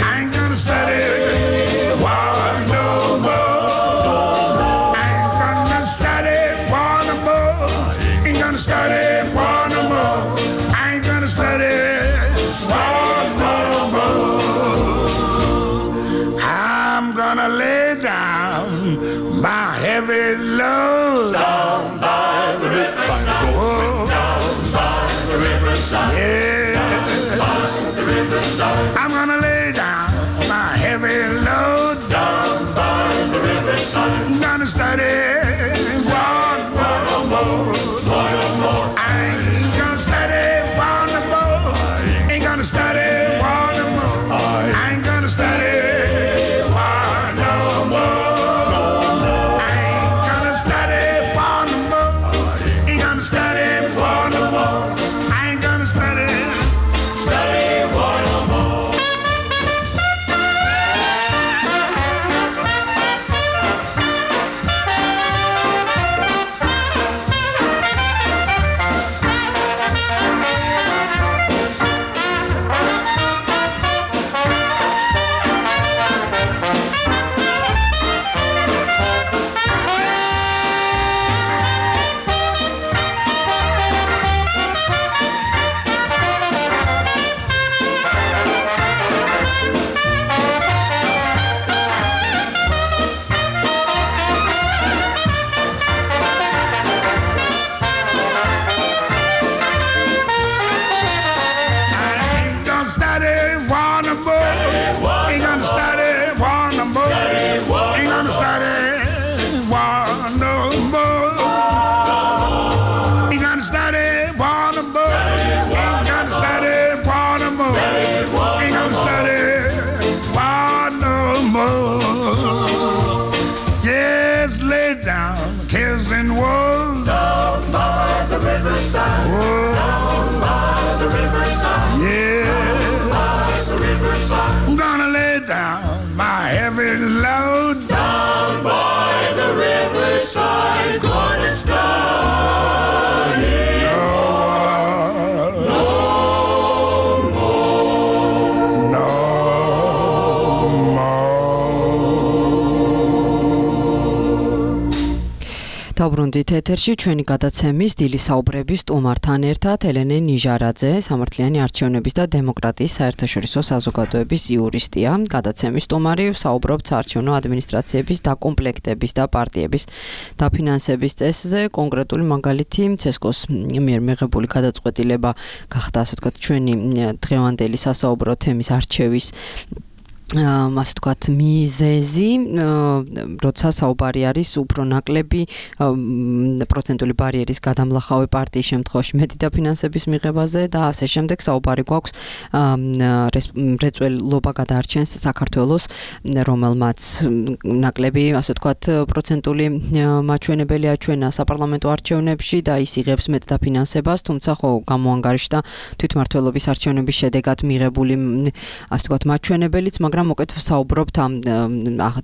I ain't gonna study one no more. I ain't gonna study one no more. Ain't gonna study one no more. I ain't gonna study one no more. I'm gonna lay down my heavy load down by the riverside. Oh, down by the riverside. Yeah, down by the riverside. I'm gonna lay down my heavy load down by the riverside. I'm gonna study one, one or more, one or more. I ain't gonna study one or more. Ain't gonna study riverside, oh, down by the riverside, yeah, down by the riverside. I'm gonna lay down my heavy load down by the riverside. Gonna start here. No more, no დავბრუნდით ეთერში ჩვენი გადაცემის დილის საუბრების სტუმართან ერთად ელენე ნიჟარაძე, სამართლიანი არჩევნების და დემოკრატიის საერთაშორისო საზოგადოების იურისტია. გადაცემის სტუმარი საუბრობთ საარჩევნო ადმინისტრაციების დაკომპლექტების და პარტიების დაფინანსების წესზე. კონკრეტული მაგალითი ცესკოს მიერ მიღებული გადაწყვეტილება გახდა, ასე ვთქვათ, ჩვენი დღევანდელი სასაუბრო თემის არჩევის ასე ვთქვათ მიზეზი, როცა საუბარი არის უფრო ნაკლები პროცენტული ბარიერის გადამლახავი პარტიის შემთხვევაში მეტი დაფინანსების მიღებაზე და ასე შემდეგ. საუბარი გვაქვს მრეწველობა გადაარჩენს საქართველოს, რომელმაც ნაკლები, ასე ვთქვათ, პროცენტული მაჩვენებელი აჩვენა საპარლამენტო არჩევნებში და ის იღებს მეტ დაფინანსებას, თუმცა ხო გამოანგარიშდა თვითმმართველობის არჩევნების შედეგად მიღებული, ასე ვთქვათ, მაჩვენებელიც, მაგრამ მოკეთ საუბრობთ ამ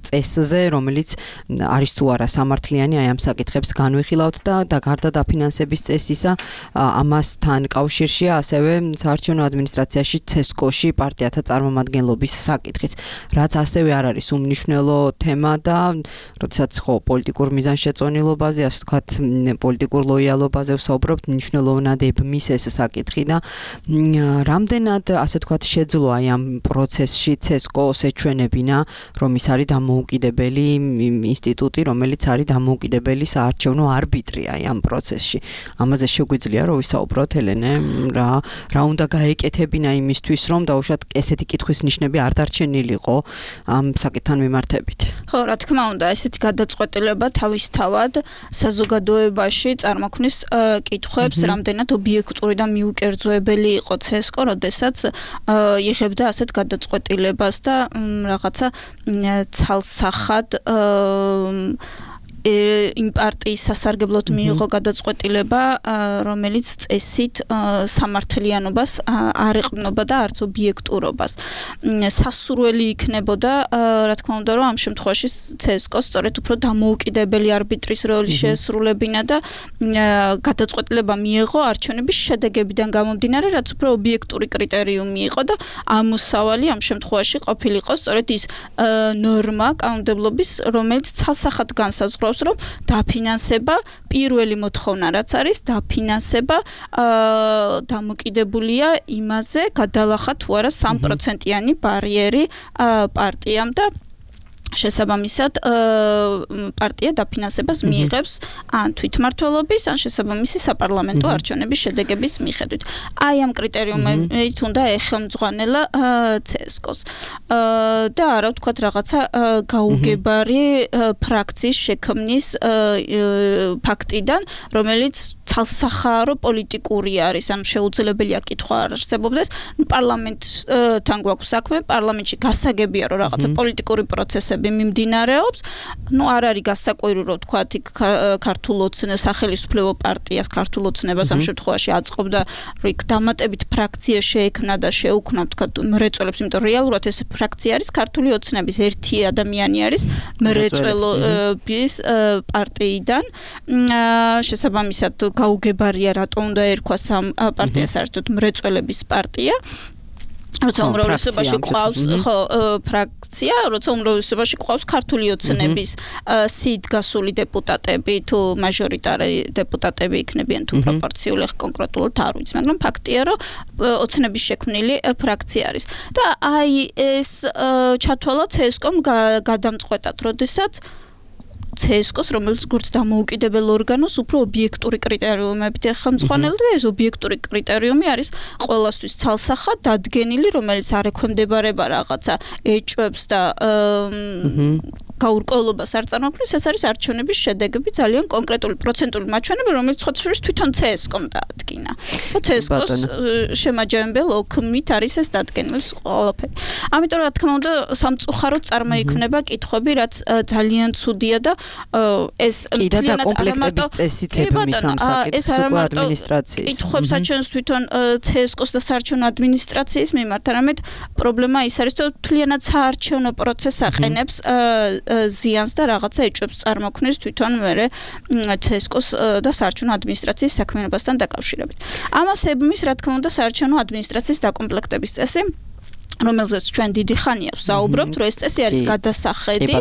წესზე, რომელიც არის თუ არა სამართლიანი, აი ამ საკითხებს განვიხილავთ და და გარდა დაფინანსების წესისა, ამასთან კავშირშია ასევე საარჩევნო ადმინისტრაციაში ცესკოში პარტიათა წარმომადგენლობის საკითხიც, რაც ასევე არ არის უმნიშვნელო თემა და როდესაც ხო პოლიტიკურ მიზანშეწონილობაზე, ასე ვთქვათ, პოლიტიკურ ლოიალობაზე ვსაუბრობთ, მნიშვნელოვნად ებმის ეს საკითხი და რამდენად, ასე ვთქვათ, შეძლო აი ამ პროცესში ცესკო ეჩვენებინა, რომ ის არის დამოუკიდებელი ინსტიტუტი, რომელიც არის დამოუკიდებელი საარჩევნო არბიტრი აი ამ პროცესში. ამაზე შეგვიძლია რომ ვისაუბროთ, ელენე, რა რა უნდა გაეკეთებინა იმისთვის, რომ დაუშვათ ესეთი კითხვის ნიშნები არ დარჩენილიყო ამ საკითხთან მიმართებით. ხო, რა თქმა უნდა, ესეთი გადაწყვეტილება თავისთავად საზოგადოებაში წარმოქმნის კითხვებს, რამდენად ობიექტური და მიუკერძოებელი იყო ცესკო, როდესაც იღებდა ასეთ გადაწყვეტილებას და რაღაცა ცალსახად იმ პარტიის სასარგებლოდ მიიღო გადაწყვეტილება, რომელიც წესით სამართლიანობას არ ეყრდნობა და არც ობიექტურობას. სასურველი იქნებოდა, რა თქმა უნდა, რომ ამ შემთხვევაში ცესკოს სწორედ უფრო დამოუკიდებელი არბიტრის როლი შეესრულებინა და გადაწყვეტილება მიიღო არჩევნების შედეგებიდან გამომდინარე, რაც უფრო ობიექტური კრიტერიუმი იყო და ამოსავალი ამ შემთხვევაში ყოფილიყო სწორედ ის ნორმა კანონმდებლობის, რომელიც ცალსახად განსაზღვრავს, რომ დაფინანსება პირველი მოთხოვნა რაც არის, დაფინანსება დამოკიდებულია იმაზე, გადალახა თუ არა სამი პროცენტიანი ბარიერი პარტიამ და შესაბამისად პარტია დაფინანსებას მიიღებს ან თვითმმართველობის, ან შესაბამისი საპარლამენტო არჩევნების შედეგების მიხედვით. აი ამ კრიტერიუმებით უნდა ეხელმძღვანელა ცესკოს. და არა ვთქვათ რაღაცა გაუგებარი ფრაქციის შექმნის ფაქტიდან, რომელიც ცალსახარო პოლიტიკური არის, ან შეუძლებელია კითხვა არ არსებობდეს. პარლამენტთან გვაქვს საქმე, პარლამენტში გასაგებია, რომ რაღაცა პოლიტიკური პროცესები მიმდინარეობს. ნუ არ არის გასაკვირი, რომ ვთქვათ, ქართულ ოცნებას, სახელმწიფო პარტიას, ქართულ ოცნებას ამ შემთხვევაში აწყობდა, რომ იქ დამატებით ფრაქცია შეექმნა და შეუქმნა, ვთქვათ, მრეწველებს, იმიტომ რეალურად ეს ფრაქცია არის ქართული ოცნების ერთი ადამიანი არის მრეწველობის პარტიიდან. შესაბამისად გაუგებარია, რატომ უნდა ერქვას ამ პარტიას საერთოდ მრეწველების პარტია. როცა უმრავლესობაში ყავს ხო ფრაქცია, როცა უმრავლესობაში ყავს ქართული ოცნების სიდ გასული დეპუტატები, თუ მაჟორიტარი დეპუტატები იქნებიან, თუ პროპორციული, კონკრეტულად არ ვიცი, მაგრამ ფაქტია, რომ ოცნების შექმნილი ფრაქცია არის. და აი ეს ჩათვალა ცესკომ გადამწყვეტად, როდესაც ცესკოს, რომელიც როგორც დამოუკიდებელ ორგანოს უფრო ობიექტური კრიტერიუმებით ეხელმძღვანელდა და ეს ობიექტური კრიტერიუმი არის ყველასთვის ცალსახად დადგენილი, რომელიც არ ექვემდებარება რაღაცა ეჭვებს და გაურკვევლობას არ წარმოქმნის, ეს არის არჩევნების შედეგები, ძალიან კონკრეტული პროცენტული მაჩვენებელი, რომელიც ხოთა შორის თვითონ ცესკომ დაადგინა. ცესკოს შემაჯამებელ ოქმით არის ეს დადგენილი ყველაფერი. ამიტომ რა თქმა უნდა, სამწუხაროდ წარმოიქმნება კითხვები, რაც ძალიან ცუდია და ეს მთლიანად კომპლექტების წესიც ეფემის ამ საკითხს უკვე ადმინისტრაციის. კითხვებს აჩვენს თვითონ ცესკოს და საარჩევნო ადმინისტრაციის მიმართ, არამედ პრობლემა ის არის, რომ მთლიანად საარჩევნო პროცესს აყენებს ზიანს და რაღაცა ეჭვებს წარმოქმნის თვითონ მერე ცესკოს და საარჩევნო ადმინისტრაციის საქმიანობასთან დაკავშირებით. ამას ებმის, რა თქმა უნდა, საარჩევნო ადმინისტრაციის დაკომპლექტების წესი, რომელზეც ჩვენ დიდი ხანია ვსაუბრობთ, რომ ეს წესი არის გადასახედი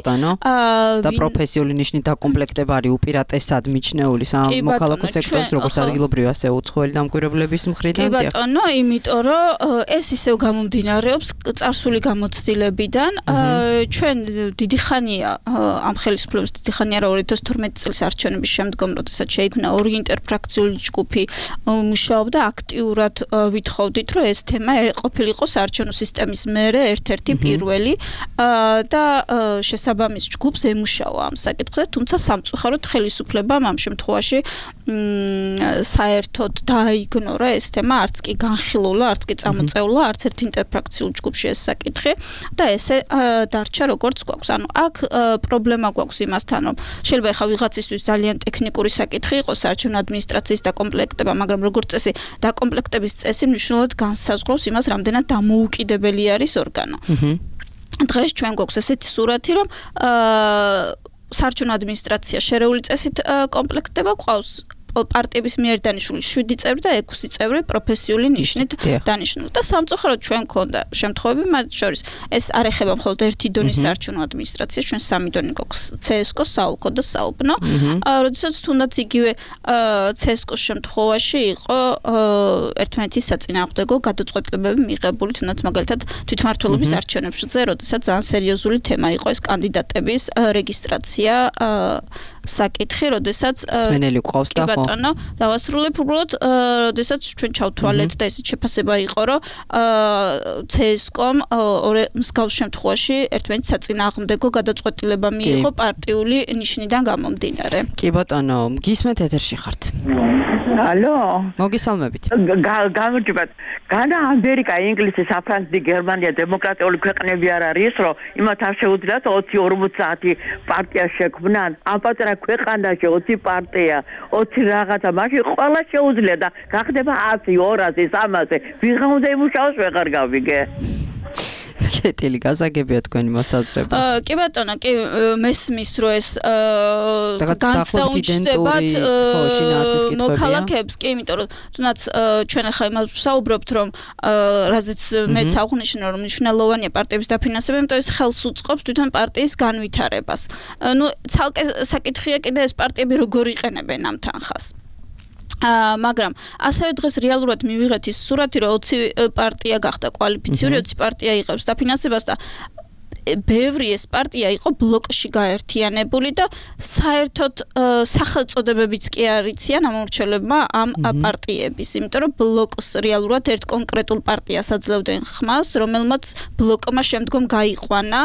და პროფესიული ნიშნით დაკომპლექტება არის უპირატესად მიჩნეული სამოქალაქო სექტორის, როგორც ადგილობრივი, ასე უცხოელი დამკვირვებლების მხრიდან. კი ბატონო, იმიტომ რომ ეს ისევ გამომდინარეობს წარსული გამოცდილებიდან. ჩვენ დიდი ხანია ამ ხელისუფლების დიდი ხანია რა ორი ათას თორმეტი წლის არჩევნების შემდგომ, როდესაც შეიქმნა ორი ინტერფრაქციული ჯგუფი მუშაობდა აქტიურად ვითხოვდით, რომ ეს თემა ყოფილიყო საარჩევნო სისტემის მერე ერთ-ერთი პირველი და შესაბამის ჯგუფს ემუშავა ამ საკითხზე, თუმცა სამწუხაროდ ხელისუფლებამ ამ შემთხვევაში საერთოდ დააიგნორა ეს თემა, არც კი განხილულა, არც კი წამოწეულა არც ერთ ინტერფრაქციულ ჯგუფში ეს საკითხი და ესე დარჩა როგორც გვაქვს. ანუ აქ პრობლემა გვაქვს იმასთან, რომ შეიძლება ხა ვიღაცისთვის ძალიან ტექნიკური საკითხი იყოს საარჩევნო ადმინისტრაციის დაკომპლექტება, მაგრამ როგორც წესი, დაკომპლექტების წესი მნიშვნელოვნად განსაზღვრავს იმას, რამდენად დამოუკიდებელი არის ორგანო. დღეს ჩვენ გვაქვს ესეთი სურათი, რომ საარჩევნო ადმინისტრაცია შერეული წესით კომპლექტდება, ყავს პარტიების მიერ დანიშნული შვიდი წევრი და ექვსი წევრი პროფესიული ნიშნით დანიშნული. და სამწუხაროდ ჩვენ გქონდა შემთხვევები, მათ შორის ეს არ ეხება მხოლოდ ერთი დონის საარჩევნო ადმინისტრაციას, ჩვენ სამი დონი გვაქვს ცესკო, საოლქო და საუბნო. როდესაც თუნდაც იგივე ცესკოს შემთხვევაში იყო ერთმანეთის საწინააღმდეგო გადაწყვეტილებები მიღებული, თუნდაც მაგალითად თვითმმართველობის არჩევნებზე, როდესაც ძალიან სერიოზული თემა იყო ეს კანდიდატების რეგისტრაცია საკითხი, როდესაც სმენელი ყავს და ხო ბატონო, დავასრულებ უბრალოდ, როდესაც ჩვენ ჩავთვალეთ და ესეც შეფასება იყო, რომ ცესკომ მსგავს შემთხვევაში ერთმანეთის საწინააღმდეგო გადაწყვეტილება მიიღო პარტიული ნიშნიდან გამომდინარე. კი ბატონო, გისმენთ ეთერში ხართ. ალო, მოგესალმებით. გამარჯობათ. განა ამერიკა, ინგლისი, საფრანგეთი, გერმანია დემოკრატიული ქვეყნები არ არის, რომ იმათ არ შეუძლიათ ოცი ორმოცი საათი პარტია შექმნან. ამ პატარა ქვეყანაში ოცი პარტია, ოცი რაღაცა, მაშინ ყველა შეუძლია და გახდება ათი, ორასი, სამასი. ვიღა უნდა იმუშაოს, ვეღარ გავიგე. კეთილი გასაგებია თქვენი მოსაზრება. კი ბატონო, კი მესმის რომ ეს განცდაუჩნდებათ მოქალაქეებს, კი, იმიტომ რომ თუნდაც ჩვენ ახლა იმას ვსაუბრობთ, რომ რაზეც მეც აღვნიშნე, რომ მნიშვნელოვანია პარტიების დაფინანსება, იმიტომ ეს ხელს უწყობს თვითონ პარტიის განვითარებას. ნუ ცალკე საკითხია კიდე ეს პარტიები როგორ იყენებენ ამ თანხას. მაგრამ ასევე დღეს რეალურად მივიღეთ ის სურათი, რომ ოცი პარტია გახდა კვალიფიციური, ოცი პარტია იღებს დაფინანსებას და ბევრი ეს პარტია იყო ბლოკში გაერთიანებული და საერთოდ სახელწოდებებიც კი არ იციან ამორჩელებმა ამ პარტიების, იმიტომ რომ ბლოკს რეალურად ერთ კონკრეტულ პარტიას აძლევდნენ ხმას, რომელმაც ბლოკმა შემდგომ გაიყვანა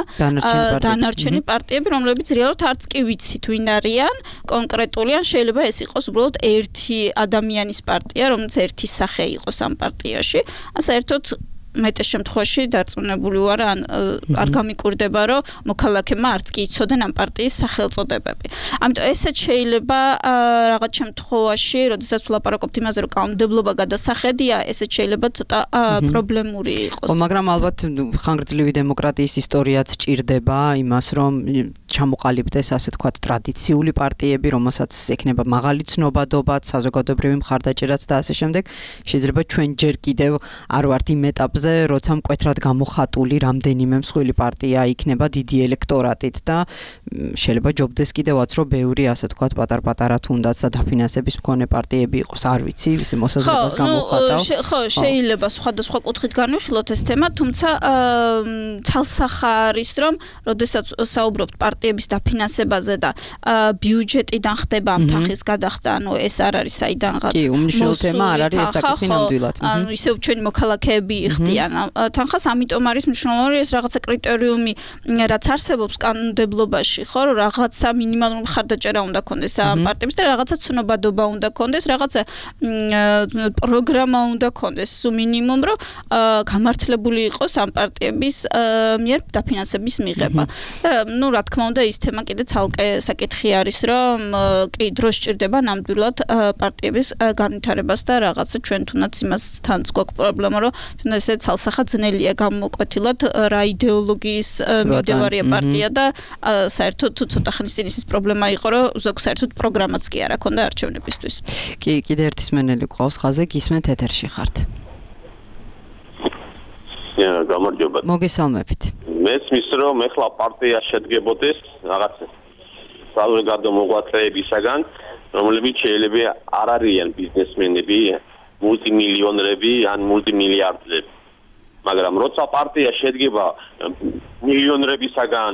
დანარჩენი პარტიები, რომლებიც რეალურად არც კი ვიცით ვინ არიან კონკრეტული, ან შეიძლება ეს იყოს უბრალოდ ერთი ადამიანის პარტია, რომელიც ერთი სახე იყოს ამ პარტიაში, ან საერთოდ მეტეს შემთხვევაში დარწმუნებული ვარ, ან არ გამიკვირდება, რომ მოქალაქეებმა არც კი იცოდნენ ამ პარტიის სახელწოდებები. ამიტომ ესეც შეიძლება რაღაც შემთხვევაში, როდესაც ვლაპარაკობთ იმაზე, რომ კანონმდებლობა გადასახედია, ესეც შეიძლება ცოტა პრობლემური იყოს. ხო, მაგრამ ალბათ ხანგრძლივი დემოკრატიის ისტორიაც ჭირდება იმას, რომ ჩამოყალიბდეს, ასე თქვათ, ტრადიციული პარტიები, რომელსაც ექნება მაღალი ცნობადობაც, საზოგადოებრივი მხარდაჭერაც და ასე შემდეგ. შეიძლება ჩვენ ჯერ კიდევ არ ვართ იმ ეტაპზე, როცა მკვეთრად გამოხატული რამდენიმე მსხვილი პარტია იქნება დიდი ელექტორატით და შეიძლება ჯობდეს კიდევაც, რომ ბევრი, ასე თქვათ, პატარ-პატარა თუნდაც და დაფინანსების მქონე პარტიები იყოს, არ ვიცი, ისე მოსაზრებას გამოვხატავ. ხო, შეიძლება სხვადასხვა კუთხით განვიხილოთ ეს თემა, თუმცა ცალსახა არის, რომ როდესაც საუბრობთ პარტიების დაფინანსებაზე და ბიუჯეტიდან ხდება ამ თანხის გადახდა, ანუ ეს არ არის საიდანღაც. კი, უმნიშვნელო თემა არ არის ეს საკითხი ნამდვილად. ანუ ისევ ჩვენი მოქალაქეები იხდიან თანხას, ამიტომ არის მნიშვნელოვანი ეს რაღაცა კრიტერიუმი, რაც არსებობს კანონმდებლობაში, ხო, რომ რაღაცა მინიმალური მხარდაჭერა უნდა კონდეს ამ პარტიებს და რაღაცა ცნობადობა უნდა კონდეს, რაღაცა პროგრამა უნდა კონდეს, სულ მინიმუმ, რომ გამართლებული იყოს ამ პარტიების მიერ დაფინანსების მიღება. ნუ რა თქმა უნდა, ის თემა კიდე ცალკე საკითხი არის, რომ კი დრო სჭირდება ნამდვილად პარტიების განვითარებას და რაღაცა ჩვენ თუნდაც იმას თანაც გვაქვს პრობლემა, რომ ჩვენ ესე ცალსახად ძნელია გამოკვეთილად რა იდეოლოგიის მიმდევარია პარტია და საერთოდ თუ ცოტა ხნის წინ ის პრობლემა იყო, რომ ზოგ საერთოდ პროგრამაც კი არ აქონდა არჩევნებისთვის. კი, კიდე ერთი სმენელი ყავს ხაზე, გისმენთ ეთერში ხართ. გამარჯობა. მოგესალმებით. მესმის რომ ეხლა პარტია შედგებოდეს რაღაც საზოგადო მოღვაწეებისაგან, რომლებიც შეიძლება არ არიან ბიზნესმენები, მულტიმილიონერები ან მულტიმილიარდერები. მაგრამ როცა პარტია შედგება მილიონერებისაგან,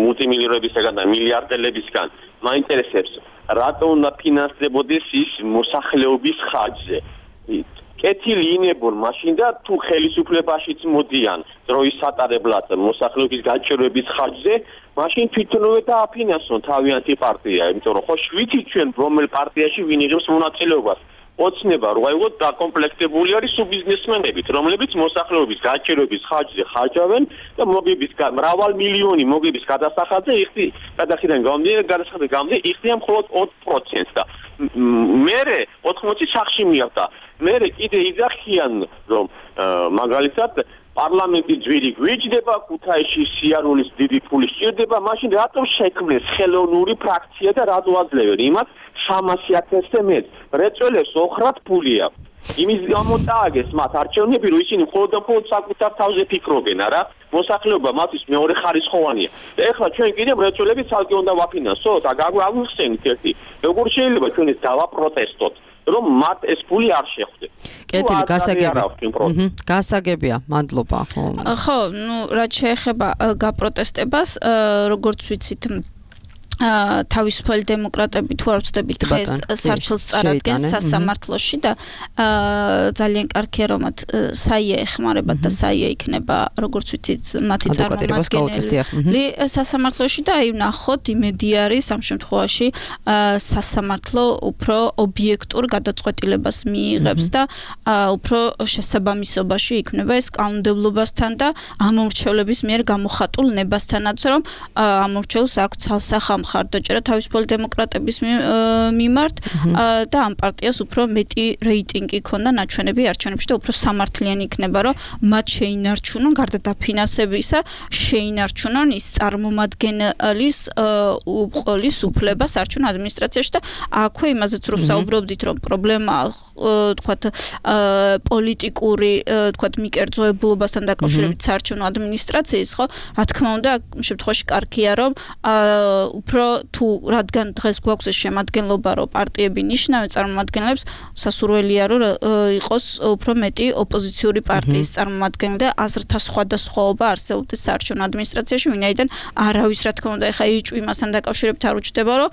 მულტიმილიონერებისაგან და მილიარდერებისგან, მაინტერესებს რატო უნდა ფინანსდებოდეს ის მოსახლეობის ხარჯზე. კეთილი ინებონ მაშინ და თუ ხელისუფლებაშიც მოდიან დროის სატარებლად მოსახლეობის გაჭირვების ხარჯზე, მაშინ თვითონვე დააფინანსონ თავიანთი პარტია, იმიტომ რომ ხო შვიდი ჩვენ რომელ პარტიაში ვინ იღებს მონაწილეობას. ოცნება რო აიღოთ დაკომპლექტებული არის სუბიზნესმენებით, რომლებიც მოსახლეობის გაჭირვების ხარჯზე ხარჯავენ და მოგების მრავალ მილიონი მოგების გადასახადზე იხდი გადახიდან გამომდინარე გადასახადზე გამომდინარე იხდიან მხოლოდ ოთხ პროცენტს და მერე ოთხმოცი სახში მიახდა. მერე კიდე იძახიან რომ მაგალითად პარლამენტი ძვირი გვიჯდება, ქუთაისში სიარულის დიდი ფული სჭირდება, მაშინ რატომ შექმნეს ხელოვნური ფრაქცია და რატო აძლევენ იმათ სამასი ათასზე მეტ რეწველებს ოხრად ფული აქვს. იმის გამო დააგეს მათ არჩევნები, რომ ისინი მხოლოდ და მხოლოდ საკუთარ თავზე ფიქრობენ, არა? მოსახლეობა მათთვის მეორე ხარისხოვანია. და ეხლა ჩვენ კიდე რეწველები ცალკე უნდა ვაფინანსოთ, აგვიხსენით ერთი. როგორ შეიძლება ჩვენ ეს დავაპროტესტოთ? რომ მათ ეს ფული არ შეხვდეს. კეთილი, გასაგებია. გასაგებია, მადლობა. ხო, ნუ რაც შეეხება გაპროტესტებას, როგორც ვიცით, თავისუფალი დემოკრატები თუ არ ვწდებით დღეს სარჩელს წარადგენს სასამართლოში და ძალიან კარგია რომ მათ საია ეხმარებათ და საია იქნება როგორც ვიცით მათი წარმომადგენელი სასამართლოში და აი ნახოთ იმედი არის ამ შემთხვევაში სასამართლო უფრო ობიექტურ გადაწყვეტილებას მიიღებს და უფრო შესაბამისობაში იქნება ეს კანონმდებლობასთან და ამორჩევლების მიერ გამოხატულ ნებასთანაც რომ ამორჩევლს აქვს ცალსახა მხარდაჭერა თავისუფალი დემოკრატების მიმართ და ამ პარტიას უფრო მეტი რეიტინგი ქონდა ნაჩვენები არჩევნებში და უფრო სამართლიანი იქნება რომ მათ შეინარჩუნონ გარდა დაფინანსებისა შეინარჩუნონ ის წარმომადგენლის უყოლის უფლებას არჩევნო ადმინისტრაციაში და აქვე იმაზეც რომ საუბრობდით რომ პრობლემა თქვათ პოლიტიკური თქვათ მიკერძოებულობასთან დაკავშირებით საარჩევნო ადმინისტრაციის ხო რა თქმა უნდა ამ შემთხვევაში კარგია რომ უფრო თუ რადგან დღეს გვაქვს ეს შემადგენლობა რომ პარტიები ნიშნავენ წარმომადგენლებს სასურველია რომ იყოს უფრო მეტი ოპოზიციური პარტიის წარმომადგენელი და აზრთა სხვადასხვაობა არსებობდეს საარჩევნო ადმინისტრაციაში ვინაიდან არავის რა თქმა უნდა ეხა იჭვი მასთან დაკავშირებით არ უჩნდება რომ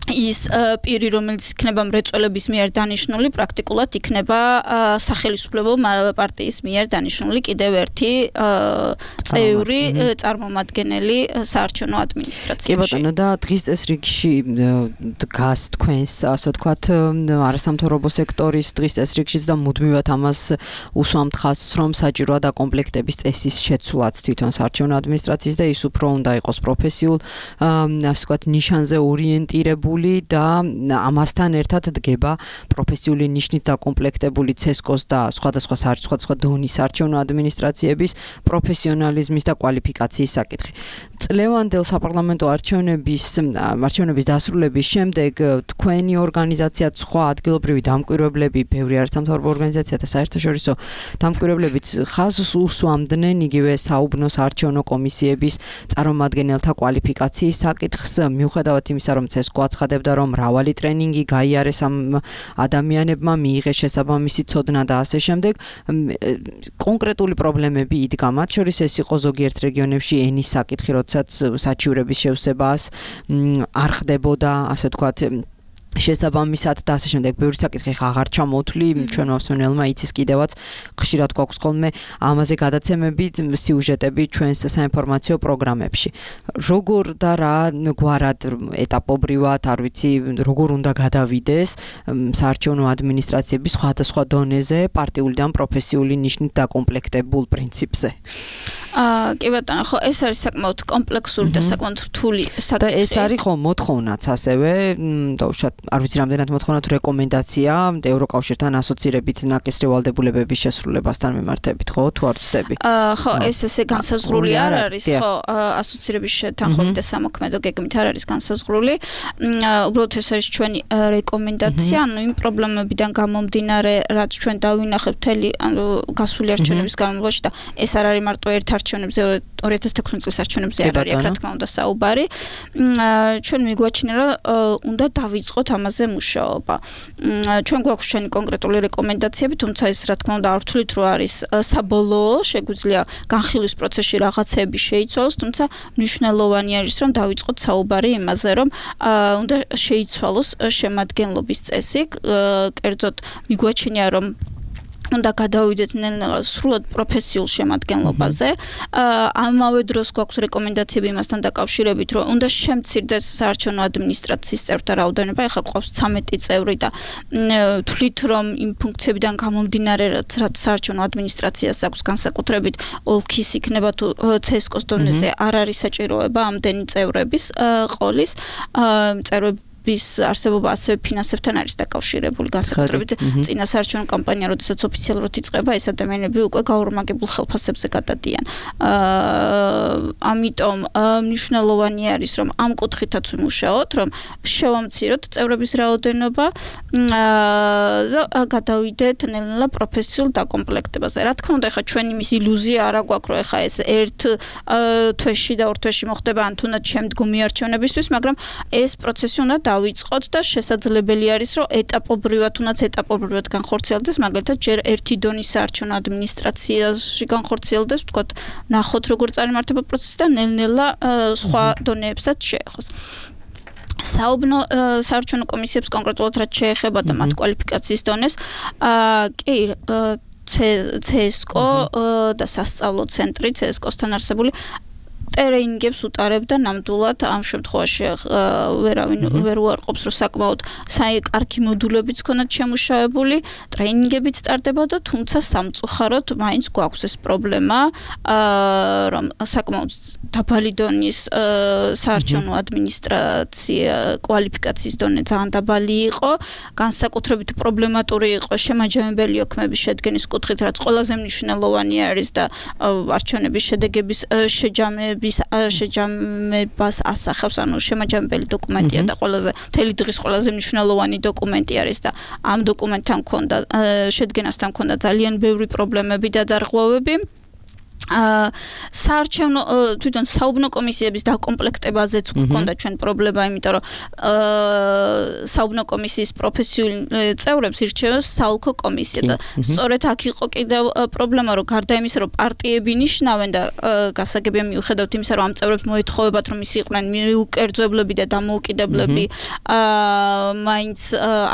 ის პირი რომელიც იქნება მრეწველების მიერ დანიშნული პრაქტიკულად იქნება სახელმწიფო პარტიის მიერ დანიშნული კიდევ ერთი წევრი წარმომადგენელი საარჩევნო ადმინისტრაციაში. კი ბატონო და დღის წესრიგში დგას თქვენს ასე ვთქვათ არასამთავრობო სექტორის დღის წესრიგშიც და მუდმივად ამას უსვამთ ხაზს რომ საჭიროა დაკომპლექტების წესის შეცვლაც თვითონ საარჩევნო ადმინისტრაციის და ის უფრო უნდა იყოს პროფესიულ ასე ვთქვათ ნიშანზე ორიენტირებული და ამასთან ერთად დგება პროფესიული ნიშნით დაკომპლექტებული ცესკოს და სხვადასხვა სხვადასხვა დონის საარჩევნო ადმინისტრაციების პროფესიონალიზმის და კვალიფიკაციის საკითხი. წლევანდელ საპარლამენტო არჩევნების არჩევნების დასრულების შემდეგ თქვენი ორგანიზაცია სხვა ადგილობრივი დამკვირვებლები, ბევრი არასამთავრობო ორგანიზაცია და საერთაშორისო დამკვირვებლებიც ხაზს უსვამდნენ იგივე საუბნოს არჩევნო კომისიების წარმომადგენელთა კვალიფიკაციის საკითხს, მიუხედავად იმისა, რომ ცესკო აცხადებს ცხადებდა, რომ მრავალი ტრენინგი გაიარეს ამ ადამიანებმა, მიიღეს შესაბამისი ცოდნა და ასე შემდეგ. კონკრეტული პრობლემები იდგა, მათ შორის ეს იყო ზოგიერთ რეგიონებში ენის საკითხი, როდესაც საჩივრების შევსებას არ ხდებოდა, ასე ვთქვათ, შესაბამისად და ასე შემდეგ. ბევრი საკითხი ხა აღარ ჩამოთვლი, ჩვენმა მსმენელმა იცის კიდევაც ხშირად გვაქვს ხოლმე ამაზე გადაცემებით სიუჟეტები ჩვენს საინფორმაციო პროგრამებში. როგორ და რა გვარად ეტაპობრივად, არ ვიცი, როგორ უნდა გადავიდეს საარჩევნო ადმინისტრაციების სხვადასხვა დონეზე პარტიული და პროფესიული ნიშნით დაკომპლექტებულ პრინციპზე. აა კი ბატონო, ხო, ეს არის საკმაოდ კომპლექსური და საკმაოდ რთული საკითხი. და ეს არის ხო მოთხოვნაც ასევე, დაუშვათ, არ ვიცი რამდენად მოთხოვნა თუ რეკომენდაცია ევროკავშირთან ასოცირებით ნაკისრი ვალდებულებების შესრულებასთან მიმართებით, ხო, თუ არ ვცდები? აა ხო, ეს ესე განსაზღვრული არ არის, ხო, ასოცირების თანხმობით და სამოქმედო გეგმით არ არის განსაზღვრული. უბრალოდ ეს არის ჩვენი რეკომენდაცია, ანუ იმ პრობლემებიდან გამომდინარე, რაც ჩვენ დავინახეთ მთელი გასული არჩევნების განმავლობაში და ეს არ არის მარტო ერთ არჩევნებზე, ორი ათას თექვსმეტ წლის არჩევნებზე არ არის, რა თქმა უნდა, საუბარი. ჩვენ მიგვაჩნია, რომ უნდა დავიწყოთ ამაზე მუშაობა. ჩვენ გვაქვს ჩვენი კონკრეტული რეკომენდაციები, თუმცა ეს რა თქმა უნდა არ ვთვლით, რომ არის საბოლოო, შეგვიძლია განხილვის პროცესში რაღაცები შეიცვალოს, თუმცა მნიშვნელოვანი არის, რომ დავიწყოთ საუბარი იმაზე, რომ უნდა შეიცვალოს შემადგენლობის წესი, კერძოდ მიგვაჩნია, რომ უნდა გადავიდეთ ნელ-ნელა სრულად პროფესიულ შემადგენლობაზე. ამავე დროს გვაქვს რეკომენდაციები იმასთან დაკავშირებით, რომ უნდა შემცირდეს საარჩევნო ადმინისტრაციის წევრთა რაოდენობა. ეხლა გვყავს ცამეტი წევრი და თვლით, რომ იმ ფუნქციებიდან გამომდინარე, რაც საარჩევნო ადმინისტრაციას აქვს განსაკუთრებით ოლქის იქნება თუ ცესკოს დონეზე არ არის საჭიროება ამდენი წევრების ყოლის წევრები bis არსებობა ასევე ფინანსებთან არის დაკავშირებული განსაკუთრებით წინა საარჩევნო კამპანია, როდესაც ოფიციალურად იწყება, ეს ადამიანები უკვე გაორმაგებულ ხელფასებზე გადადიან. ამიტომ მნიშვნელოვანი არის, რომ ამ კუთხითაც ვიმუშაოთ, რომ შევამციროთ წევრების რაოდენობა და გადავიდეთ ნელ-ნელა პროფესიულ დაკომპლექტებაზე. რა თქმა უნდა, ეხლა ჩვენი მის ილუზია არა გვაქვს, რომ ეხლა ეს ერთ თვეში და ორ თვეში მოხდება, ან თუნდაც შემდგომი არჩევნებისთვის, მაგრამ ეს პროცესი უნდა დავიწყოთ და შესაძლებელი არის, რომ ეტაპობრივად, თუნდაც ეტაპობრივად განხორციელდეს, მაგალითად, ჯერ ერთი დონის საარჩევნო ადმინისტრაციაში განხორციელდეს, ვთქვათ, ნახოთ როგორ წარიმართება პროცესი და ნელ-ნელა სხვა დონეებსაც შეეხოს. საუბნო საარჩევნო კომისიებს კონკრეტულად რაც შეეხება და მათ კვალიფიკაციის დონეს, კი ცესკო და სასწავლო ცენტრი ცესკოსთან არსებული ტრეინინგებს უტარებდა ნამდვილად ამ შემთხვევაში ვერავინ ვერ უარყოფს, რომ საკმაოდ კარგი მოდულებიც ქონათ შემუშავებული, ტრეინინგებიც ტარდებოდა, თუმცა სამწუხაროდ მაინც გვაქვს ეს პრობლემა, რომ საკმაოდ დაბალი დონის საარჩევნო ადმინისტრაცია კვალიფიკაციის დონე ძალიან დაბალი იყო, განსაკუთრებით პრობლემატური იყო შემაჯამებელი ოქმების შედგენის კუთხით, რაც ყველაზე მნიშვნელოვანი არის და არჩევნების შედეგების შეჯამების შეჯამებას ასახავს, ანუ შემაჯამებელი დოკუმენტია და ყველაზე მთელი დღის ყველაზე მნიშვნელოვანი დოკუმენტი არის და ამ დოკუმენტთან მქონდა შედგენასთან მქონდა ძალიან ბევრი პრობლემები და დარღვევები. საარჩევნო თვითონ საუბნო კომისიების დაკომპლექტებაზეც გვქონდა ჩვენ პრობლემა, იმიტომ რომ საუბნო კომისიის პროფესიული წევრებს ირჩევს საოლქო კომისია და სწორედ აქ იყო კიდევ პრობლემა, რომ გარდა იმისა, რომ პარტიები ნიშნავენ და გასაგებია მიუხედავად იმისა, რომ ამ წევრებს მოეთხოვებათ, რომ ისინი იყვნენ მიუკერძოებლები და დამოუკიდებლები, მაინც